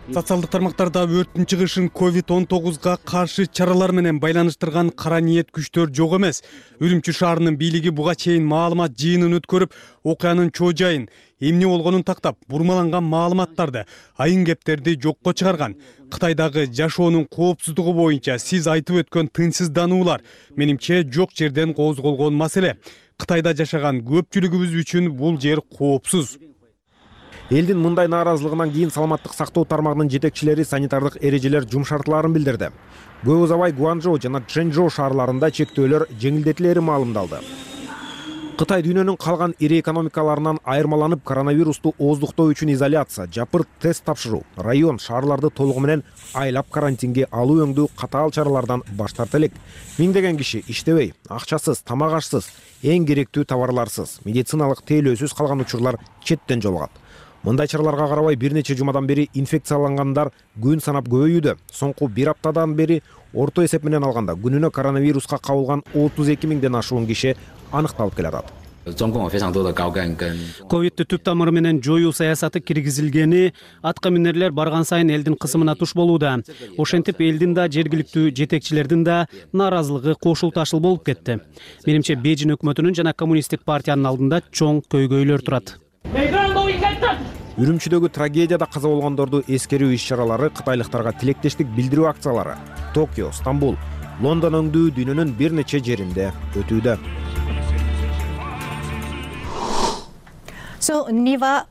Социалдык тармактарда өрттүн чыгышын ковид он тогузга каршы чаралар менен байланыштырган кара ниет күчтөр жок эмес. Үрүмчү шаарынын бийлиги буга чейин маалымат жыйынын өткөрүп, окуянын чоо жайын, эмне болгонун тактап, бурмаланган маалыматтарды, айын кептерди жокко чыгарган. Кытайдагы жашоонун коопсуздугу боюнча сиз айтып өткөн тынчсыздануулар менимче жок жерден козголгон маселе. Кытайда жашаган көпчүлүгүбүз үчүн бул жер коопсуз. Элдин мындай нааразылыгынан кийин саламаттык сактоо тармагынын жетекчилери санитардык эрежелер жумшартылаарын билдирди. Көп узабай Гуанчжоу жана Чжэнчжоу шаарларында чектөөлөр жеңилдетилери маалымдалды. Кытай дүйнөнүн калган ири экономикаларынан айырмаланып, коронавирусту ооздуктоо үчүн изоляция, жапырт тест тапшыруу, район, шаарларды толугу менен айлап карантинге алуу өңдүү катаал чаралардан баш тарта элек. Миңдеген киши иштебей, акчасыз, тамак ашсыз, эң керектүү товарларсыз, медициналык тейлөөсүз калган учурлар четтен жолугат. Мындай чараларга карабай бир нече жумадан бери инфекциялангандар күн санап көбөйүүдө. Соңку бир аптадан бери орто эсеп менен алганда күнүнө коронавируска кабылган отуз эки миңден ашуун киши аныкталып келатат. Ковидти түп тамыры менен жоюу саясаты киргизилгени атка минерлер барган сайын элдин кысымына туш болууда. Ошентип элдин да, жергиликтүү жетекчилердин да нааразылыгы кошул ташыл болуп кетти. Менимче Бейжиң өкмөтүнүн жана коммунисттик партиянын алдында чоң көйгөйлөр турат. Үрүмчүдөгү трагедияда каза болгондорду эскерүү иш-чаралары, кытайлыктарга тилектештик билдирүү акциялары Токио, Стамбул, Лондон өңдүү дүйнөнүн бир нече жеринде өтүүдө. So, Niva,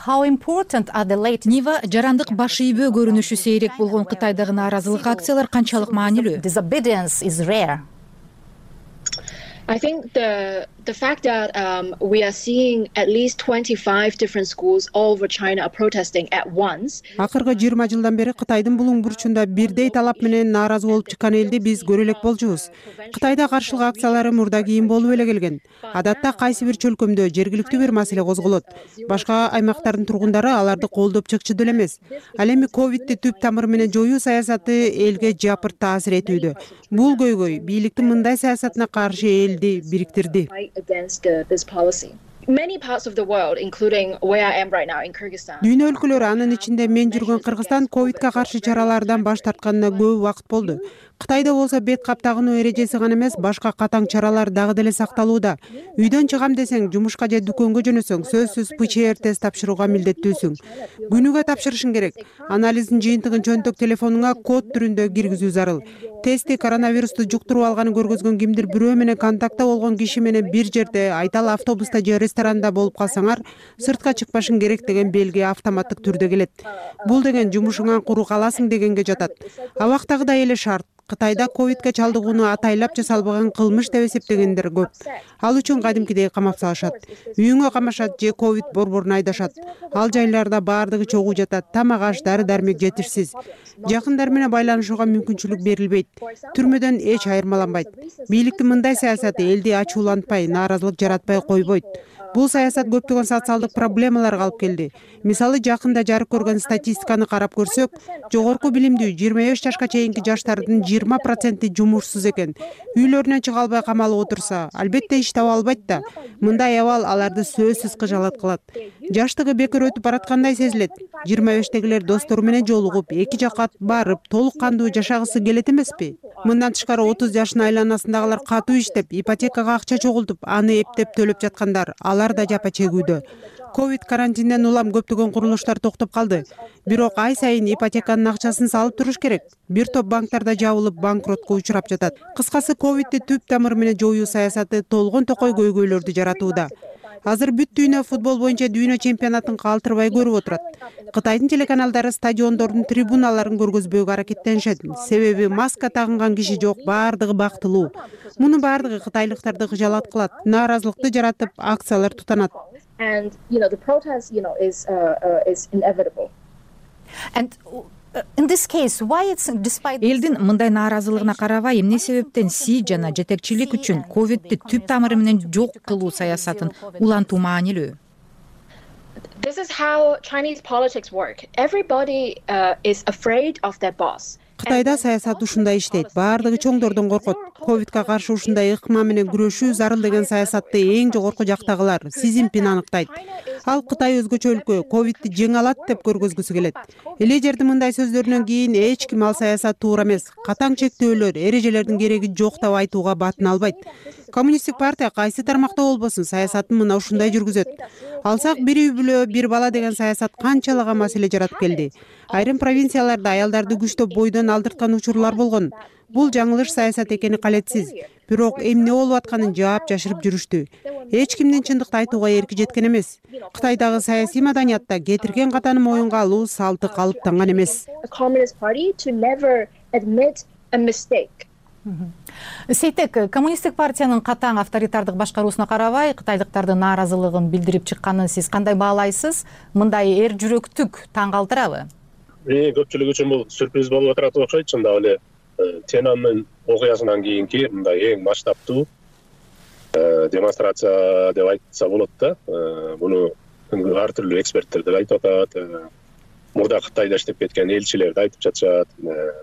how important are the late... Нива жарандык баш ийбөө көрүнүшү сейрек болгон Кытайдагы нааразылык акциялар канчалык маанилүү? Disobedience is rare. I think the the fact that um, we are seeing at least twenty-five different schools all over China are protesting at once. Акыркы жыйырма жылдан бери Кытайдын булуң бурчунда бирдей талап менен нааразы болуп чыккан элди биз көрө элек болчубуз. Кытайда каршылык акциялары мурда кийин болуп эле келген. Адатта кайсы бир чөлкөмдө жергиликтүү бир маселе козголот. Башка аймактардын тургундары аларды колдоп чыкчу деле эмес. Ал эми ковидти түп тамыры менен жоюу саясаты элге жапырт таасир этүүдө. Бул көйгөй бийликтин мындай саясатына каршы элди бириктирди. Many parts of the world, including where I am right now in Kyrgyzstan. Дүйнө өлкөлөрү, анын ичинде мен жүргөн Кыргызстан ковидке каршы чаралардан баш тартканына көп убакыт болду. Кытайда болсо бет каптагынуу эрежеси гана эмес, башка катаң чаралар дагы деле сакталууда. Үйдөн чыгам десең, жумушка же дүкөнгө жөнөсөң, сөзсүз пэ че эр тест тапшырууга милдеттүүсүң. Күнүгө тапшырышың керек. Анализдин жыйынтыгын чөнтөк телефонуңа код түрүндө киргизүү зарыл. Тести коронавирусту жуктуруп алганын көргөзгөн кимдир бирөө менен контактта болгон киши менен бир жерде, айталы автобуста же ресторанда болуп калсаңар, сыртка чыкпашың керек деген белги автоматтык түрдө келет. Бул деген жумушуңан куру каласың дегенге жатат. Абактагыдай эле шарт. Кытайда ковидке чалдыгууну атайлап жасалбаган кылмыш деп эсептегендер көп. Ал үчүн кадимкидей камап салышат. Үйүңө камашат же ковид борборун айдашат. Ал жайларда баардыгы чогуу жатат. Тамак аш, дары-дармек жетишсиз. Жакындар менен байланышууга мүмкүнчүлүк берилбейт. Түрмөдөн эч айырмаланбайт. Бийликтин мындай саясаты элди ачуулантпай, нааразылык жаратпай койбойт. Бул саясат көптөгөн социалдык проблемаларга алып келди. Мисалы, жакында жарык көргөн статистиканы карап көрсөк, жогорку билимдүү жыйырма беш жашка чейинки жаштардын жыйырма проценти жумушсуз экен. Үйлөрүнөн чыга албай камалып отурса, албетте иш таба албайт да. Мындай абал аларды сөзсүз кыжалат кылат. жаштыгы бекер өтүп бараткандай сезилет. жыйырма бештегилер достору менен жолугуп, эки жакка барып, толук кандуу жашагысы келет эмеспи? Мындан тышкары отуз жашынын айланасындагылар катуу иштеп, ипотекага акча чогултуп, аны эптеп төлөп жаткандар, алар да жапа чегүүдө. Ковид карантинден улам көптөгөн курулуштар токтоп калды. Бирок ай сайын ипотеканын акчасын салып туруш керек. Бир топ банктарда жабылып, банкротко учурап жатат. Кыскасы, ковидти түп тамыры менен жоюу саясаты толгон токой көйгөйлөрдү жаратууда. Азыр бүт дүйнө футбол боюнча дүйнө чемпионатын калтырбай көрүп отурат. Кытайдын телеканалдары стадиондордун трибуналарын көргөзбөөгө аракеттенишет. Себеби маска тагынган киши жок, баардыгы бактылуу. Мунун баардыгы кытайлыктарды кыжалат кылат, нааразылыкты жаратып, акциялар тутанат. And you know the protest, you know, is uh, uh, is inevitable. And in this case, why it's despite элдин мындай нааразылыгына карабай, эмне себептен Си жана жетекчилик үчүн ковидти түп тамыры менен жок кылуу саясатын улантуу маанилүү? This is how Chinese politics work. Everybody uh, is afraid of their boss. Кытайда саясат ушундай иштейт. Баардыгы чоңдордон коркот. Ковидке каршы ушундай ыкма менен күрөшүү зарыл деген саясатты эң жогорку жактагылар Си Цзиньпин аныктайт. Ал Кытай өзгөчө өлкө, ковидти жеңе алат деп көргөзгүсү келет. Лидердин мындай сөздөрүнөн кийин эч ким ал саясат туура эмес, катаң чектөөлөр, эрежелердин кереги жок деп айтууга батын албайт. Коммунисттик партия кайсы тармакта болбосун саясатын мына ушундай жүргүзөт. Алсак бир үй бүлө, бир бала деген саясат канчалаган маселе жаратып келди. Айрым провинцияларда аялдарды күчтөп бойдон алдырткан учурлар болгон. Бул жаңылыш саясат экени калетсиз. Бирок эмне болуп атканын жаап жашырып жүрүштү. Эч кимдин чындыкты айтууга эрки жеткен эмес. Кытайдагы саясий маданиятта кетирген катаны моюнга алуу салты калыптанган эмес. Сейтек, коммунисттик партиянын катаң авторитардык башкаруусуна карабай, кытайлыктардын нааразылыгын билдирип чыкканын сиз кандай баалайсыз? Мындай эр жүрөктүк таң калтырабы? Көпчүлүк үчүн бул сюрприз болуп атат окшойт. Чындап эле Тяньаньмэнь окуясынан кийинки мындай эң масштабтуу демонстрация деп айтса болот да. Муну ар түрдүү эксперттер деп айтып атат. Мурда Кытайда иштеп кеткен элчилер айтып жатышат.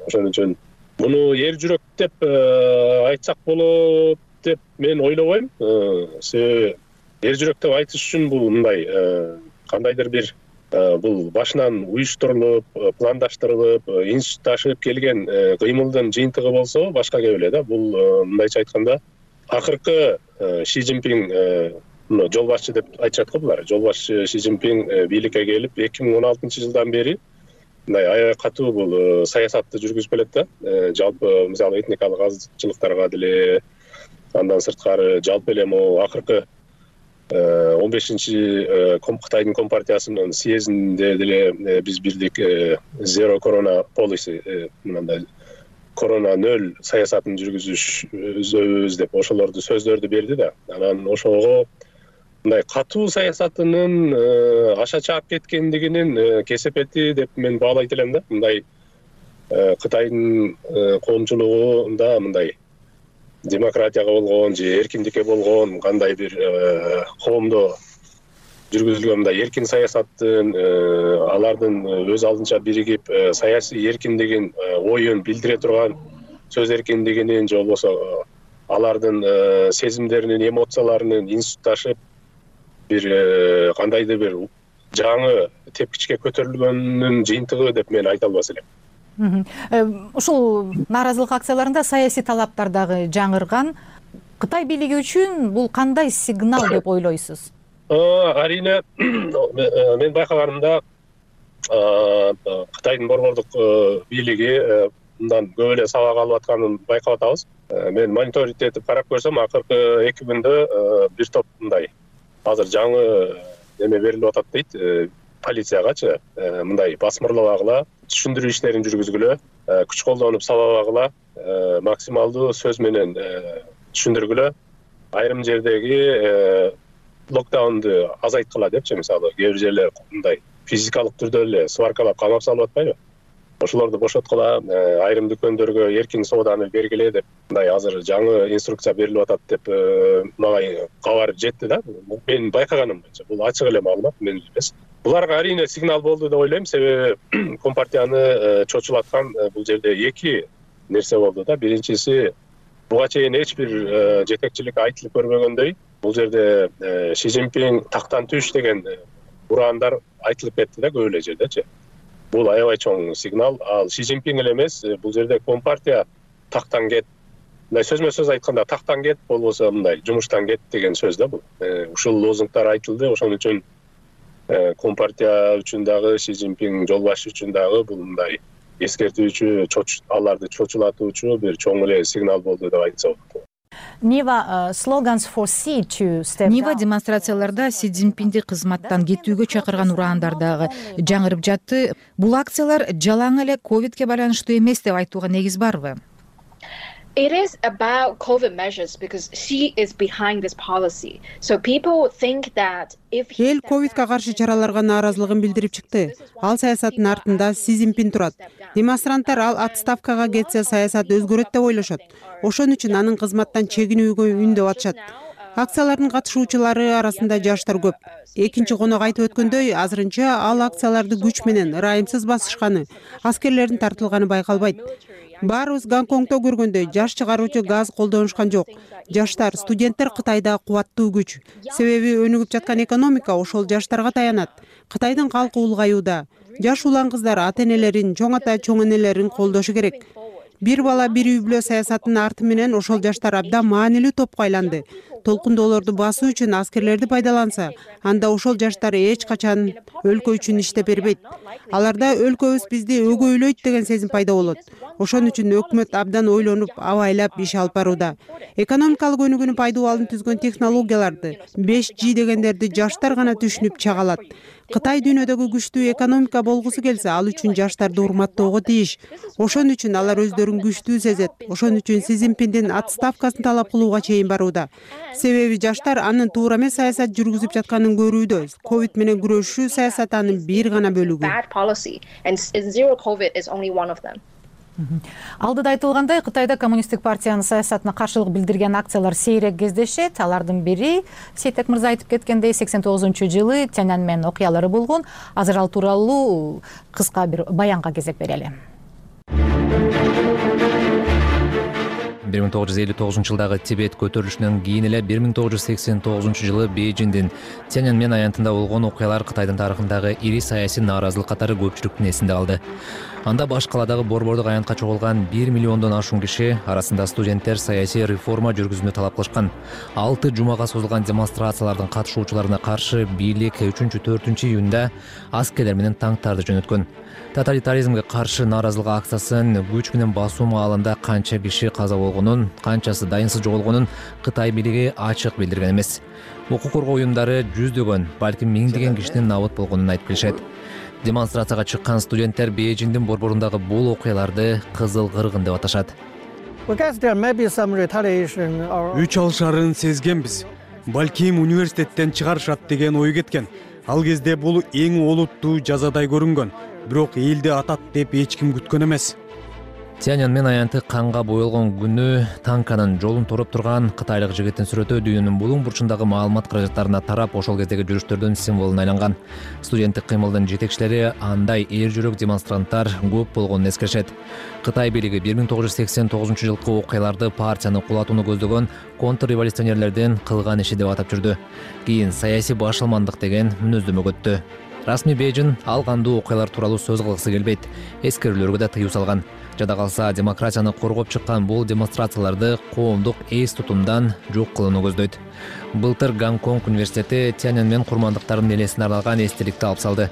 Ошон үчүн муну эр жүрөк деп айтсак болот деп мен ойлобойм. Себеби эр жүрөк деп айтыш үчүн бул мындай кандайдыр бир бул башынан уюштурулуп, пландаштырылып, институтташып келген кыймылдын жыйынтыгы болсо башка кеп эле да. Бул мындайча айтканда акыркы Си Цзиньпин жол башчы деп айтышат го булар. Жол башчы Си Цзиньпин бийликке келип эки миң он алтынчы жылдан бери мындай аябай катуу бул саясатты жүргүзүп келет да. Жалпы мисалы этникалык азчылыктарга деле, андан сырткары жалпы эле могу акыркы он бешинчи Кытайдын компартиясынын съездинде деле биз бирдик zero corona policy, мындай корона нөл саясатын жүргүзүшөбүз деп ошолорду сөздөрдү берди да. Анан ошого мындай катуу саясатынын аша чаап кеткендигинин кесепети деп мен баалайт элем да. Мындай Кытайдын коомчулугунда мындай демократияга болгон же эркиндикке болгон кандай бир коомдо жүргүзүлгөн мындай эркин саясаттын, алардын өз алдынча биригип саясий эркиндигин, оюн билдире турган сөз эркиндигинин же болбосо алардын сезимдеринин, эмоцияларынын институтташып бир кандайдыр бир жаңы тепкичке көтөрүлгөнүнүн жыйынтыгы деп мен айта албас элем. Ушул нааразылык акцияларында саясий талаптар дагы жаңырган. Кытай бийлиги үчүн бул кандай сигнал деп ойлойсуз? Арине мен байкаганымда Кытайдын борбордук бийлиги мындан көп эле сабак алып атканын байкап атабыз. Мен мониторинг этип карап көрсөм, акыркы эки күндө бир топ мындай азыр жаңы неме берилип атат дейт полициягачы, мындай басмырлабагыла, түшүндүрүү иштерин жүргүзгүлө, күч колдонуп сабабагыла, максималдуу сөз менен түшүндүргүлө, айрым жердеги локдаунду азайткыла депчи, мисалы кээ бир жерлер мындай физикалык түрдө эле сваркалап камап салып атпайбы? Ошолорду бошоткула, айрым дүкөндөргө эркин сооданы бергиле деп мындай азыр жаңы инструкция берилип атат деп мага кабар жетти да. Мен байкаганым боюнча бул ачык эле маалымат, мен эмес. Буларга арине сигнал болду деп ойлойм, себеби компартияны чочулаткан бул жерде эки нерсе болду да. Биринчиси, буга чейин эч бир жетекчилик айтылып көрбөгөндөй, бул жерде Си Цзиньпин тактан түш деген ураандар айтылып кетти да көп эле жердечи. Бул аябай чоң сигнал. Ал Си Цзиньпин эле эмес, бул жерде Компартия тактан кет, мындай сөзмө сөз айтканда тактан кет, болбосо мындай жумуштан кет деген сөз да бул. Ушул лозунгдар айтылды. Ошон үчүн Компартия үчүн дагы, Си Цзиньпин жолбашы үчүн дагы бул мындай эскертүүчү, аларды чочулатуучу бир чоң эле сигнал болду деп айтса болот. Нива демонстрацияларда Си Цзиньпинди кызматтан кетүүгө чакырган ураандар дагы жаңырып жатты. Бул акциялар жалаң эле ковидке байланыштуу эмес деп айтууга негиз барбы? It is about COVID measures because she is behind this policy. So people think that if he Эл ковидке каршы чараларга нааразылыгын билдирип чыкты. Ал саясаттын артында Си Цзиньпин турат. Демонстранттар ал отставкага кетсе саясат өзгөрөт деп ойлошот. Ошон үчүн анын кызматтан чегинүүгө үндөп атышат. Акциялардын катышуучулары арасында жаштар көп. Экинчи конок айтып өткөндөй, азырынча ал акцияларды күч менен ырайымсыз басышканы, аскерлердин тартылганы байкалбайт. Баарыбыз Гонконгдо көргөндөй жаш чыгаруучу газ колдонушкан жок. Жаштар, студенттер Кытайда кубаттуу күч. Себеби өнүгүп жаткан экономика ошол жаштарга таянат. Кытайдын калкы улгаюуда. Жаш улан кыздар ата-энелерин, чоң ата, чоң энелерин колдошу керек. Бир бала бир үй бүлө саясатынын арты менен ошол жаштар абдан маанилүү топко айланды. Толкундоолорду басуу үчүн аскерлерди пайдаланса, анда ошол жаштар эч качан өлкө үчүн иштеп бербейт. Аларда өлкөбүз бизди өгөйлөйт деген сезим пайда болот. Ошон үчүн өкмөт абдан ойлонуп, абайлап иш алып барууда. Экономикалык өнүгүүнү пайдалуулун түзгөн технологияларды, беш джи дегендерди жаштар гана түшүнүп чагалат. Кытай дүйнөдөгү күчтүү экономика болгусу келсе, ал үчүн жаштарды урматтоого тийиш. Ошон үчүн алар өздөрүн күчтүү сезет. Ошон үчүн Си Цзиньпиндин отставкасын талап кылууга чейин барууда. Себеби жаштар анын туура эмес саясат жүргүзүп жатканын көрүүдө. Ковид менен күрөшүү саясаты анын бир гана бөлүгү. Алдыда айтылгандай, Кытайда коммунисттик партиянын саясатына каршылык билдирген акциялар сейрек кездешет. Алардын бири Сейтек мырза айтып кеткендей сексен тогузунчу жылы Тяньаньмэн окуялары болгон. Азыр ал тууралуу кыска бир баянга кезек берели. бир миң тогуз жүз элүү тогузунчу жылдагы Тибет көтөрүлүшүнөн кийин эле бир миң тогуз жүз сексен тогузунчу жылы Бейжиңдин Тяньаньмэн аянтында болгон окуялар Кытайдын тарыхындагы ири саясий нааразылык катары көпчүлүктүн эсинде калды. Анда баш каладагы борбордук аянтка чогулган бир миллиондон ашуун киши, арасында студенттер саясий реформа жүргүзүүнү талап кылышкан. Алты жумага созулган демонстрациялардын катышуучуларына каршы бийлик үчүнчү төртүнчү июнда аскерлер менен танктарды жөнөткөн. Тоталитаризмге каршы нааразылык акциясын күч менен басуу маалында канча киши каза болгонун, канчасы дайынсыз жоголгонун Кытай бийлиги ачык билдирген эмес. Укук коргоо уюмдары жүздөгөн, балким миңдеген кишинин набыт болгонун айтып келишет. Демонстрацияга чыккан студенттер Бейжиңдин борборундагы бул окуяларды кызыл кыргын деп аташат. Үч алышарын сезгенбиз. Балким университеттен чыгарышат деген ой кеткен. Ал кезде бул эң олуттуу жазадай көрүнгөн. Бирок элди атат деп эч ким күткөн эмес. Тяньаньмэн аянты канга боелгон күнү танканын жолун тороп турган кытайлык жигиттин сүрөтү дүйнөнүн булуң бурчундагы маалымат каражаттарына тарап, ошол кездеги жүрүштөрдүн символуна айланган. Студенттик кыймылдын жетекчилери андай эр жүрөк демонстранттар көп болгонун эскеришет. Кытай бийлиги бир миң тогуз жүз сексен тогузунчу жылкы окуяларды партияны кулатууну көздөгөн контрреволюционерлердин кылган иши деп атап жүрдү. Кийин саясий башалмандык деген мүнөздөмө өттү. Расмий Бейжиң ал кандуу окуялар тууралуу сөз кылгысы келбейт. Эскерүүлөргө да тыюу салган. Жада калса демократияны коргоп чыккан бул демонстрацияларды коомдук эс тутумдан жок кылууну көздөйт. Былтыр Гонконг университети Тяньаньмэн курмандыктарынын элесине арналган эстеликти алып салды.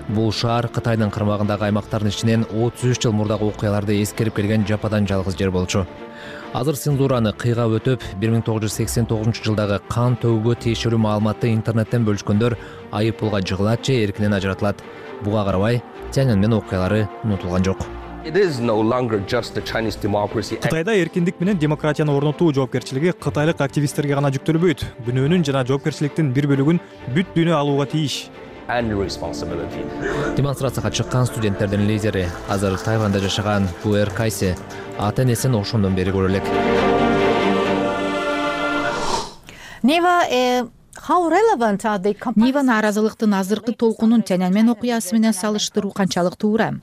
Бул шаар Кытайдын кырмагындагы аймактардын ичинен отуз үч жыл мурдагы окуяларды эскерип келген жападан жалгыз жер болчу. Азыр цензураны кыйгап өтүп, бир миң тогуз жүз сексен тогузунчу жылдагы кан төгүүгө тиешелүү маалыматты интернеттен бөлүшкөндөр айып пулга жыгылат же эркинен ажыратылат. Буга карабай, Тяньаньмэн окуялары унутулган жок. Кытайда эркиндик менен демократияны орнотуу жоопкерчилиги кытайлык активисттерге гана жүктөлбөйт. Күнөөнүн жана жоопкерчиликтин бир бөлүгүн бүт дүйнө алууга тийиш. Демонстрацияга чыккан студенттердин лидери, азыр Тайванда жашаган Пуэр Кайси, ата-энесин ошондон бери көрө элек. Нива нааразылыктын азыркы толкунун Тяньаньмэн окуясы менен салыштыруу канчалык туура?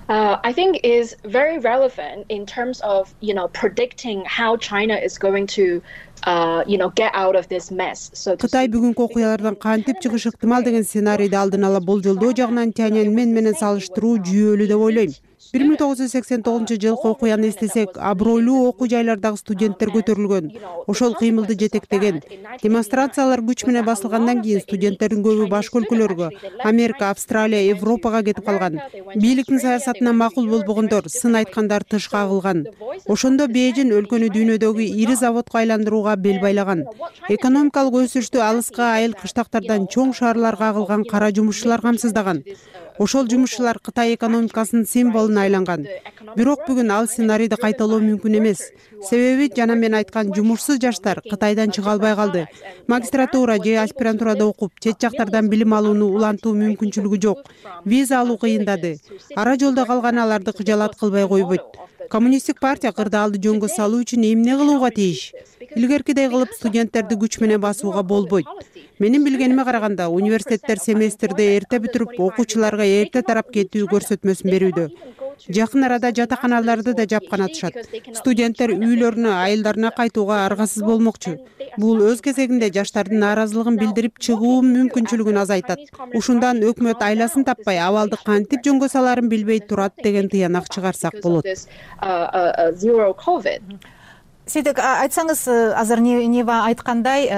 Uh, I think is very relevant in terms of, you know, predicting how China is going to uh, you know, get out of this mess. So Кытай бүгүнкү окуялардан кантип чыгышы ыктымал деген сценарийди алдын ала болжолдоо жагынан Тяньаньмэнь менен салыштыруу жүйөлүү деп ойлойм. бир миң тогуз жүз сексен тогузунчу жылкы окуяны эстесек, абройлуу окуу жайлардагы студенттер көтөрүлгөн, ошол кыймылды жетектеген. Демонстрациялар күч менен басылгандан кийин студенттердин көбү башка өлкөлөргө, Америка, Австралия, Европага кетип калган. Бийликтин саясатына макул болбогондор, сын айткандар тыш кагылган. Ошондо Бейжин өлкөнү дүйнөдөгү ири заводко айландырууга бел байлаган. Экономикалык өсүштү алыска айыл кыштактардан чоң шаарларга агылган кара жумушчулар камсыздаган. Ошол жумушчулар Кытай экономикасынын символуна айланган. Бирок бүгүн ал сценарийди кайталоо мүмкүн эмес. Себеби жана мен айткан жумушсуз жаштар Кытайдан чыга албай калды. Магистратура же аспирантурада окуп, чет жактардан билим алууну улантуу мүмкүнчүлүгү жок. Виза алуу кыйындады. Ара жолдо калган аларды кыжалат кылбай койбойт. Коммунисттик партия кырдаалды жөнгө салуу үчүн эмне кылууга тийиш? Илгеркидей кылып студенттерди күч менен басууга болбойт. Менин билгениме караганда, университеттер семестрди эрте бүтүрүп, окуучуларга эрте тарап кетүү көрсөтмөсүн берүүдө. Жакын арада жатаканаларды да жапкан атышат. Студенттер үйлөрүнө, айылдарына кайтууга аргасыз болмокчу. Бул өз кезегинде жаштардын нааразылыгын билдирип чыгуу мүмкүнчүлүгүн азайтат. Ушундан өкмөт айласын таппай, абалды кантип жөнгө саларын билбей турат деген тыянак чыгарсак болот. Сиздик айтсаңыз, азыр Нива айткандай,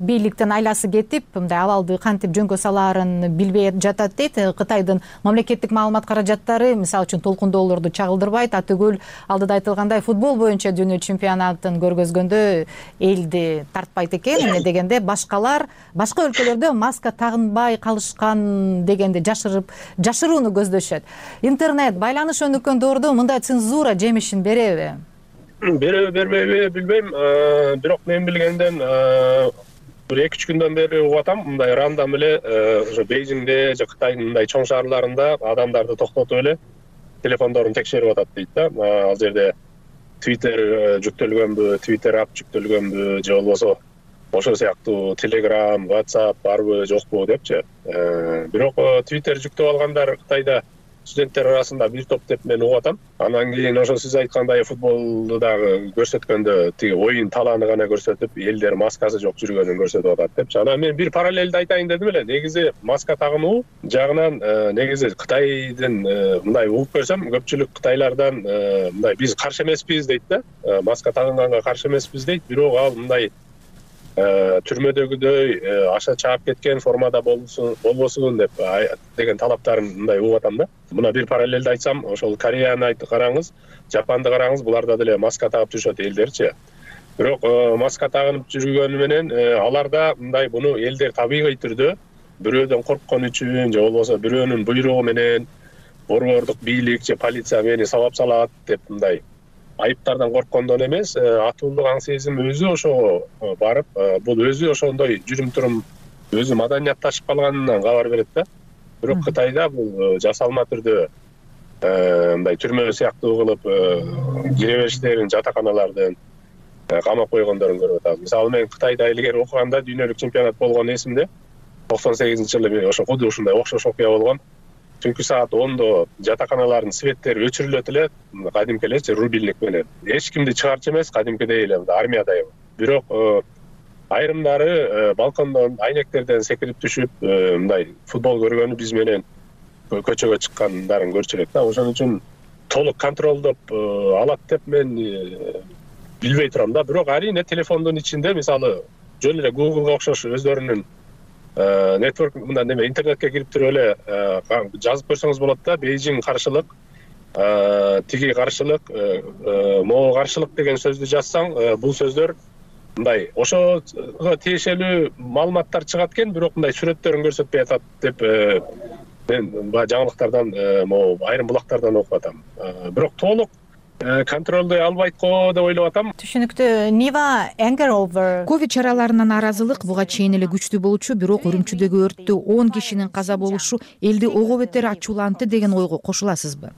бийликтин айласы кетип, мындай абалды кантип жөнгө салаарын билбей жатат дейт. Кытайдын мамлекеттик маалымат каражаттары, мисалы үчүн толкундоолорду чагылдырбайт. Атөгүл алдыда айтылгандай футбол боюнча дүйнө чемпионатын көргөзгөндө элди тартпайт экен. Эмне дегенде башкалар башка өлкөлөрдө маска тагынбай калышкан дегенди жашырып, жашырууну көздөшөт. Интернет байланыш өнүккөн доордо мындай цензура жемишин береби? Береби, бербейби билбейм. Бирок мен билгенден бир эки үч күндөн бери угуп атам, мындай рандом эле ошо Бейжиңде же Кытайдын мындай чоң шаарларында адамдарды токтотуп эле телефондорун текшерип атат дейт да. Ал жерде Twitter жүктөлгөнбү, Twitter ап жүктөлгөнбү же болбосо ошол сыяктуу Telegram, WhatsApp барбы, жокпу депчи. Бирок Twitter жүктөп алгандар Кытайда студенттер арасында бир топ деп мен угуп атам. Анан кийин ошо сиз айткандай футболду дагы көрсөткөндө тиги оюн талааны гана көрсөтүп, элдер маскасы жок жүргөнүн көрсөтүп атат депчи. Анан мен бир параллелди айтайын дедим эле. Негизи маска тагынуу жагынан негизи Кытайдын мындай угуп көрсөм, көпчүлүк кытайлардан мындай биз каршы эмеспиз дейт да. Маска тагынганга каршы эмеспиз дейт. Бирок ал мындай түрмөдөгүдөй аша чаап кеткен формада болбосун деп деген талаптарын мындай угуп атам да. Мына бир параллелди айтсам, ошол Кореяны караңыз, Жапанды караңыз, буларда деле маска тагып жүрүшөт элдерчи. Бирок маска тагынып жүргөнү менен аларда мындай буну элдер табигый түрдө бирөөдөн корккон үчүн же болбосо бирөөнүн буйругу менен борбордук бийлик же полиция мени сабап салат деп мындай айыптардан корккондон эмес, атуулдук аң сезим өзү ошого барып, бул өзү ошондой жүрүм-турум өзү маданиятташып калганынан кабар берет да. Бирок Кытайда бул жасалма түрдө мындай түрмө сыяктуу кылып кире бериштерин, жатаканалардын камап койгондорун көрүп атабыз. Мисалы мен Кытайда илгери окуганда дүйнөлүк чемпионат болгон эсимде. токсон сегизинчи жылы ошо куду ушундай окшош окуя болгон. Түнкү саат ондо жатаканалардын светтери өчүрүлөт эле, кадимки элечи рубильник менен. Эч кимди чыгарчу эмес, кадимкидей эле армиядай. Бирок айрымдары балкондон, айнектерден секирип түшүп, мындай футбол көргөнү биз менен көчөгө чыккандарын көрчү элек да. Ошон үчүн толук контролдоп алат деп мен билбей турам да. Бирок арийне телефондун ичинде, мисалы, жөн эле Google'га окшош өздөрүнүн нетворк мындай неме интернетке кирип туруп эле жазып көрсөңүз болот да. Бейжиң каршылык, тиги каршылык, могу каршылык деген сөздү жазсаң, бул сөздөр мындай ошого тиешелүү маалыматтар чыгат экен, бирок мындай сүрөттөрүн көрсөтпөй атат деп мен баягы жаңылыктардан, могу айрым булактардан окуп атам. Бирок толук контролдой албайт го деп ойлоп атам. Түшүнүктүү. Нива anger over ковид чараларына нааразылык буга чейин эле күчтүү болчу, бирок Үрүмчүдөгү өрттү он кишинин каза болушу элди ого бетер ачуулантты деген ойго кошуласызбы?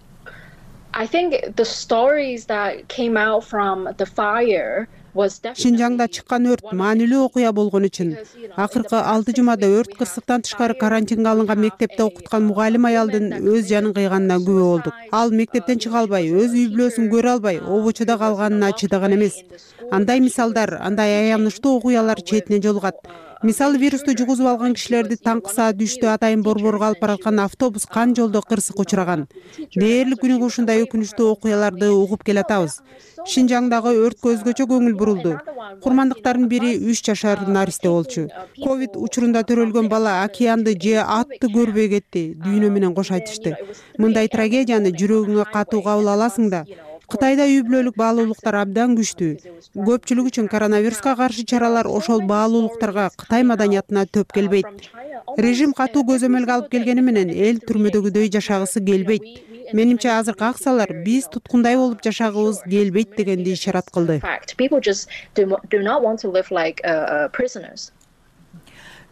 I think the stories that came out from the fire Шинжаңда чыккан өрт маанилүү окуя болгон үчүн акыркы алты жумада өрт кырсыктан тышкары карантинге алынган мектепте окуткан мугалим аялдын өз жанын кыйганына күбө болдук. Ал мектептен чыга албай, өз үй бүлөсүн көрө албай, обочуда калганына чыдаган эмес. Андай мисалдар, андай аянычтуу окуялар четине жолугат. Мисалы, вирусту жугузуп алган кишилерди таңкы саат үчтө Атайын Борборго алып бараткан автобус кан жолдо кырсык учураган. Дээрлик күнүгө ушундай өкүнүчтүү окуяларды угуп келатабыз. Шинжаңдагы өрткө өзгөчө көңүл бурулду. Курмандыктардын бири үч жашар наристе болчу. Ковид учурунда төрөлгөн бала океанды же атты көрбөй кетти, дүйнө менен кош айтышты. Мындай трагедияны жүрөгүңө катуу кабыл аласың да. Кытайда үй бүлөлүк баалуулуктар абдан күчтүү. Көпчүлүк үчүн коронавируска каршы чаралар ошол баалуулуктарга, Кытай маданиятына төп келбейт. Режим катуу көзөмөлгө алып келгени менен эл түрмөдөгүдөй жашагысы келбейт. Менимче азыркы аксалар биз туткундай болуп жашагыбыз келбейт дегенди ишарат кылды.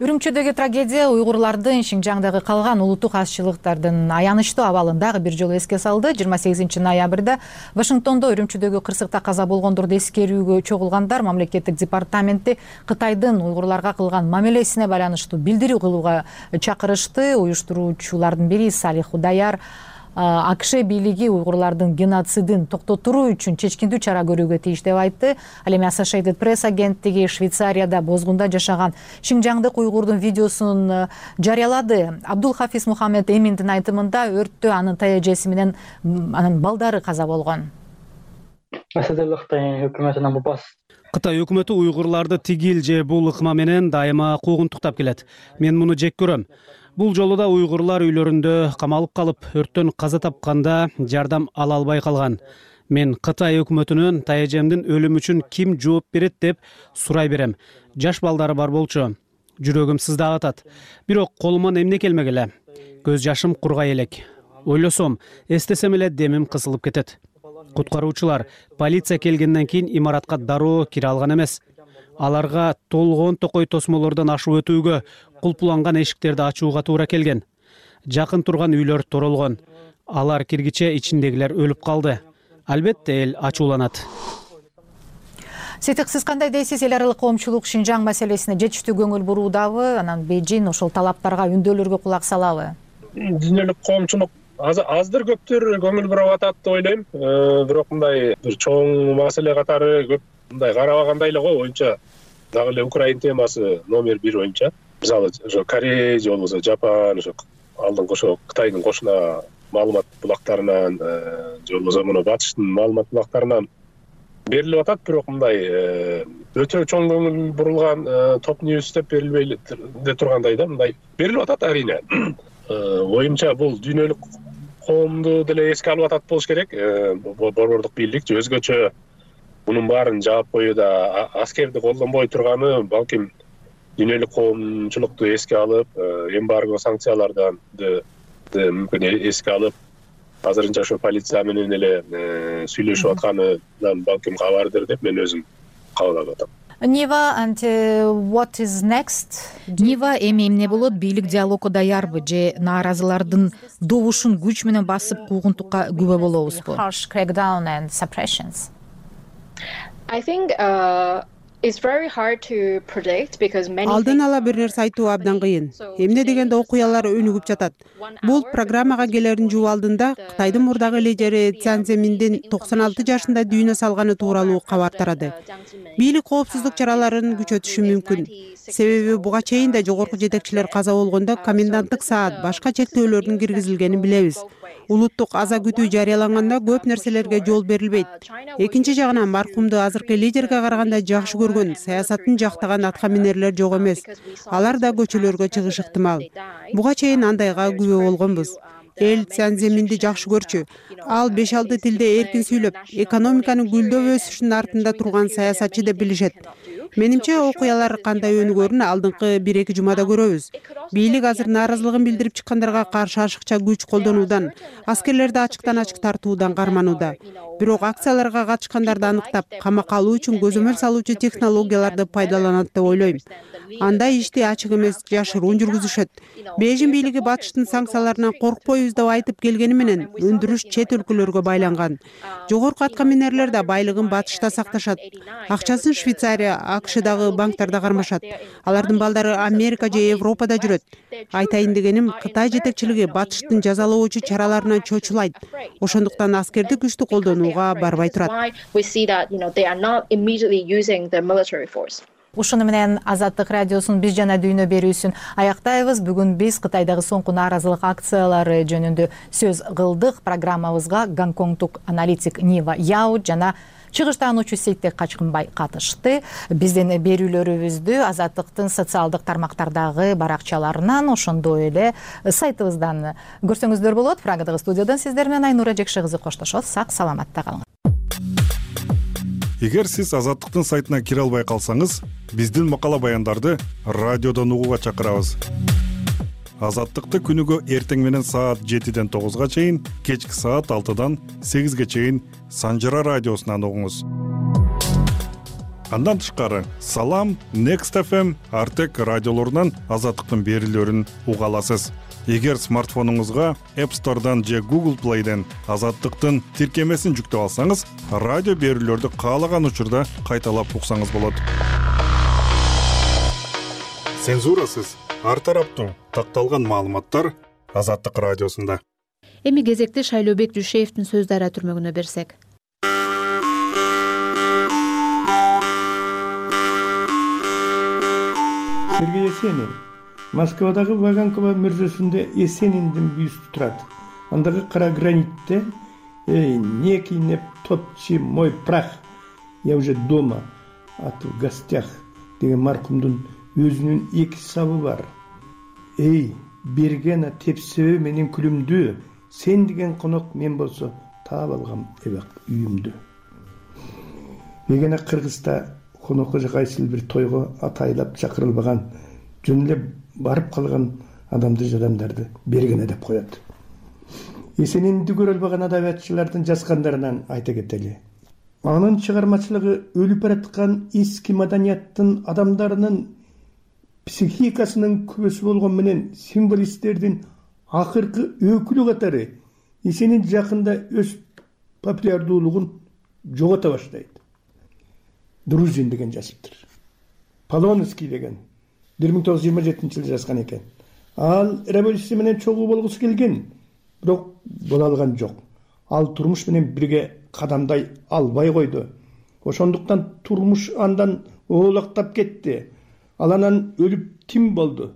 Үрүмчүдөгү трагедия уйгурлардын Шинжаңдагы калган улуттук азчылыктардын аянычтуу абалын дагы бир жолу эске салды. жыйырма сегизинчи ноябрда Вашингтондо үрүмчүдөгү кырсыкта каза болгондорду эскерүүгө чогулгандар мамлекеттик департаменти Кытайдын уйгурларга кылган мамилесине байланыштуу билдирүү кылууга чакырышты. Уюштуруучулардын бири Салих Худаяр АКШ бийлиги уйгурлардын геноцидин токтотуруу үчүн чечкиндүү чара көрүүгө тийиш деп айтты. Ал эми Associated Press агенттиги Швейцарияда бозгунда жашаган шинжаңдык уйгурдун видеосун жарыялады. Абдул Хафиз Мухаммед Эминдин айтымында өрттө анын таяжеси менен анын балдары каза болгон. Кытай өкмөтү уйгурларды тигил же бул ыкма менен дайыма куугунтуктап келет. Мен муну жек көрөм. Бул жолу да уйгурлар үйлөрүндө камалып калып, өрттөн каза тапканда жардам ала албай калган. Мен Кытай өкмөтүнөн таяжемдин өлүмү үчүн ким жооп берет деп сурай берем. Жаш балдары бар болчу. Жүрөгүм сыздап атат. Бирок колуман эмне келмек эле. Көз жашым кургай элек. Ойлосом, эстесем эле демим кысылып кетет. Куткаруучулар полиция келгенден кийин имаратка дароо кире алган эмес. Аларга толгон токой тосмолордон ашып өтүүгө, кулпуланган эшиктерди ачууга туура келген. Жакын турган үйлөр торолгон. Алар киргиче ичиндегилер өлүп калды. Албетте эл ачууланат. Сетик, сиз кандай дейсиз? Эл аралык коомчулук Шинжаң маселесине жетиштүү көңүл буруудабы? Анан Бейжин ошол талаптарга, үндөлөргө кулак салабы? Дүйнөлүк коомчулук аздыр көптүр көңүл буруп атат деп ойлойм. Бирок мындай бир чоң маселе катары көп мындай карабагандай эле го. Оюнча дагы эле Украин темасы номер бир боюнча. Мисалы, ошо Корея же болбосо Жапан, ошо алдыңкы ошо Кытайдын кошуна маалымат булактарынан же болбосо муну батыштын маалымат булактарынан берилип атат. Бирок мындай өтө чоң көңүл бурулган топ ньюс деп берилбей де тургандай да, мындай берилип атат арийне. Оюмча бул дүйнөлүк коомду деле эске алып атат болуш керек. Борбордук бийлик же өзгөчө мунун баарын жаап коюуда аскерди колдонбой турганы балким дүйнөлүк коомчулукту эске алып, эмбарго санкциялардан мүмкүн эске алып, азырынча ошо полиция менен эле сүйлөшүп атканынан балким кабардыр деп мен өзүм кабыл алып атам. Нива, and what is next? Нива эми эмне болот? Бийлик диалогго даярбы же нааразылардын добушун күч менен басып куугунтукка күбө болобузбу? Harsh crackdown and suppressions. I think uh, it's very hard to predict because many Алдын ала бир нерсе айтуу абдан кыйын. Эмне дегенде окуялар өнүгүп жатат. Бул программага келерин жуп алдында Кытайдын мурдагы лидери Цзян Цземиндин токсон алты жашында дүйнө салганы тууралуу кабар тарады. Бийлик коопсуздук чараларын күчөтүшү мүмкүн. Себеби буга чейин да жогорку жетекчилер каза болгондо коменданттык саат, башка чектөөлөрдүн киргизилгенин билебиз. Улуттук аза күтүү жарыяланганда көп нерселерге жол берилбейт. Экинчи жагынан маркумду азыркы лидерге караганда жакшы көргөн, саясатын жактаган атка минерлер жок эмес. Алар да көчөлөргө чыгыш ыктымал. Буга чейин андайга күбө болгонбуз. Эл Цзян Цземинди жакшы көрчү. Ал беш алты тилде эркин сүйлөп, экономиканын гүлдөп өсүшүнүн артында турган саясатчы деп билишет. Менимче окуялар кандай өнүгөрүн алдыңкы бир эки жумада көрөбүз. Бийлик азыр нааразылыгын билдирип чыккандарга каршы ашыкча күч колдонуудан, аскерлерди ачыктан ачык тартуудан карманууда. Бирок акцияларга катышкандарды аныктап, камакка алуу үчүн көзөмөл салуучу технологияларды пайдаланат деп ойлойм. Андай ишти ачык эмес, жашыруун жүргүзүшөт. Бейжин бийлиги батыштын санкцияларынан коркпойбуз деп айтып келгени менен өндүрүш чет өлкөлөргө байланган. Жогорку атка минерлер да байлыгын батышта сакташат. Акчасын Швейцария, АКШдагы банктарда кармашат. Алардын балдары Америка же Европада жүрөт. Айтайын дегеним, Кытай жетекчилиги батыштын жазалоочу чараларынан чочулайт. Ошондуктан аскерди күчтү колдонууга барбай турат. Ушуну менен Азаттык радиосунун Биз жана дүйнө берүүсүн аяктайбыз. Бүгүн биз Кытайдагы соңку нааразылык акциялары жөнүндө сөз кылдык. Программабызга Гонконгдук аналитик Нива Яо жана чыгыштаануучу Сейтек Качкынбай катышты. Биздин берүүлөрүбүздү Азаттыктын социалдык тармактардагы баракчаларынан, ошондой эле сайтыбыздан көрсөңүздөр болот. Прагадагы студиядан сиздер менен Айнура Жекше кызы коштошот. Сак саламатта калыңыз. Эгер сиз Азаттыктын сайтына кире албай калсаңыз, биздин макала баяндарды радиодон угууга чакырабыз. Азаттыкты күнүгө эртең менен саат жетиден тогузга чейин, кечки саат алтыдан сегизге чейин Санжара радиосунан угуңуз. Андан тышкары Салам, Next эф эм, Артек радиолорунан Азаттыктын берүүлөрүн уга аласыз. Эгер смартфонуңузга App Store'дан же Google Play'ден Азаттыктын тиркемесин жүктөп алсаңыз, радио берүүлөрдү каалаган учурда кайталап уксаңыз болот. Цензурасыз, ар тараптуу такталган маалыматтар Азаттык радиосунда. Эми кезекти Шайлообек Жушеевдин сөз дарыя түрмөгүнө берсек. Сергей Есенин Москвадагы Ваганкова мүрзөсүндө Есениндин бюсту турат. Андагы кара гранитте «Эй, не кинеп топчи мой прах, я уже дома, а ты в гостях» деген маркумдун өзүнүн эки сабы бар. «Эй, бергена тепсебе менин күлүмдү, сен деген конок мен болсо таап алгам эбак үйүмдү». Мегена Кыргызда конокко же кайсыл бир тойго атайлап чакырылбаган, жөн эле барып калган адамды жадамдарды бергене деп коет. Есенинди көрө албаган адабиятчылардын жазгандарынан айта кетели. Анын чыгармачылыгы өлүп бараткан эски маданияттын адамдарынын психикасынын күбөсү болгон менен символисттердин акыркы өкүлү катары Есенин жакында өз популярдуулугун жогото баштайт. Друзин деген жазыптыр. Полонский деген бир миң тогуз жүз жыйырма жетинчи жылы жазган экен. Ал революция менен чогуу болгусу келген, бирок боло алган жок. Ал турмуш менен бирге кадамдай албай койду. Ошондуктан турмуш андан оолактап кетти. Ал анан өлүп тим болду.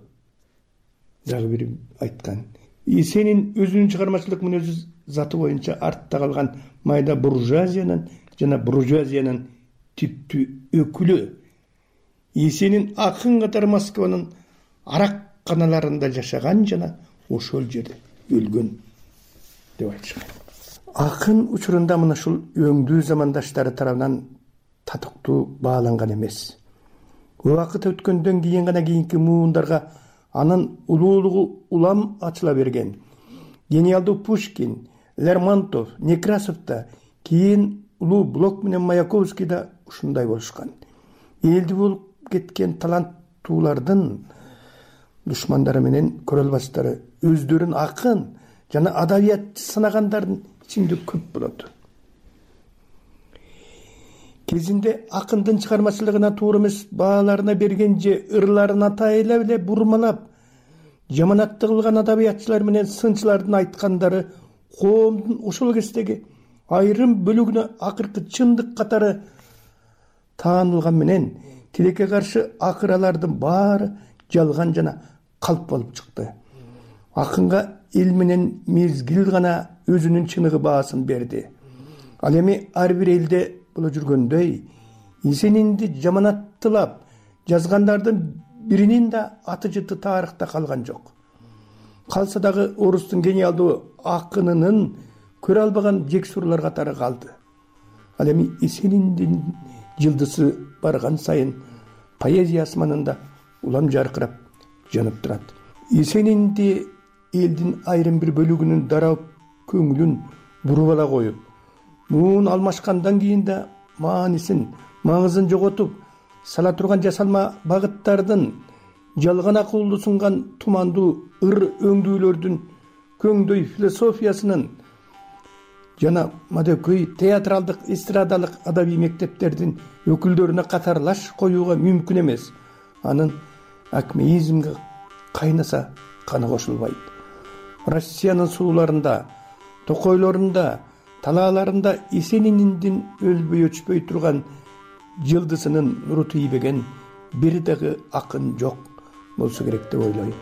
Дагы бири айткан. Есенин өзүнүн чыгармачылык мүнөзү заты боюнча артта калган майда буржуазиянын жана буржуазиянын типтүү өкүлү. Есенин акын катары Москванын аракканаларында жашаган жана ошол жерде өлгөн деп айтышкан. Акын учурунда мына ушул өңдүү замандаштары тарабынан татыктуу бааланган эмес. Убакыт өткөндөн кийин гана кийинки муундарга анын улуулугу улам ачыла берген. Гениалдуу Пушкин, Лермонтов, Некрасов да, кийин улуу Блок менен Маяковский да ушундай болушкан. Элди болуп кеткен таланттуулардын душмандары менен көрө албастары өздөрүн акын жана адабиятчы санагандардын ичинде көп болот. Кезинде акындын чыгармачылыгына туура эмес бааларына берген же ырларын атайлап эле бурмалап, жаманатты кылган адабиятчылар менен сынчылардын айткандары коомдун ошол кездеги айрым бөлүгүнө акыркы чындык катары таанылган менен тилекке каршы акыралардын баары жалган жана калп болуп чыкты. Акынга эл менен мезгил гана өзүнүн чыныгы баасын берди. Ал эми ар бир элде боло жүргөндөй Есенинди жаманаттылап жазгандардын биринин да аты жыты тарыхта калган жок. Калса дагы орустун гениалдуу акынынын көрө албаган жексурлар катары калды. Ал эми Есениндин жылдысы барган сайын поэзия асманында улам жаркырап жанып турат. Эсенинди элдин айрым бир бөлүгүнүн дарап көңүлүн буруп ала коюп, муун алмашкандан кийин да маанисин, маңызын жоготуп сала турган жасалма багыттардын, жалган акылды сунган тумандуу ыр өңдүүлөрдүн, көңдөй философиясынын жана мадөкөй театралдык, эстрадалык адабий мектептердин өкүлдөрүнө катарлаш коюуга мүмкүн эмес. Анын акмеизмге кайнаса каны кошулбайт. Россиянын сууларында, токойлорунда, талааларында Эсенининдин өлбөй өчпөй турган жылдызынын нуру тийбеген бир дагы акын жок болсо керек деп ойлойм.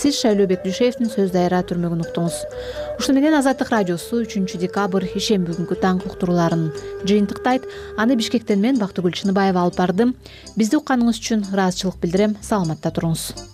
Сиз Шайлообек Дүйшеевдин сөз дайра түрмөгүн уктуңуз. Ушуну менен Азаттык радиосу үчүнчү декабрь ишемби күнгү таңкы уктурууларын жыйынтыктайт. Аны Бишкектен мен Бактыгүл Чыныбаева алып бардым. Бизди укканыңыз үчүн ыраазычылык билдирем. Саламатта туруңуз.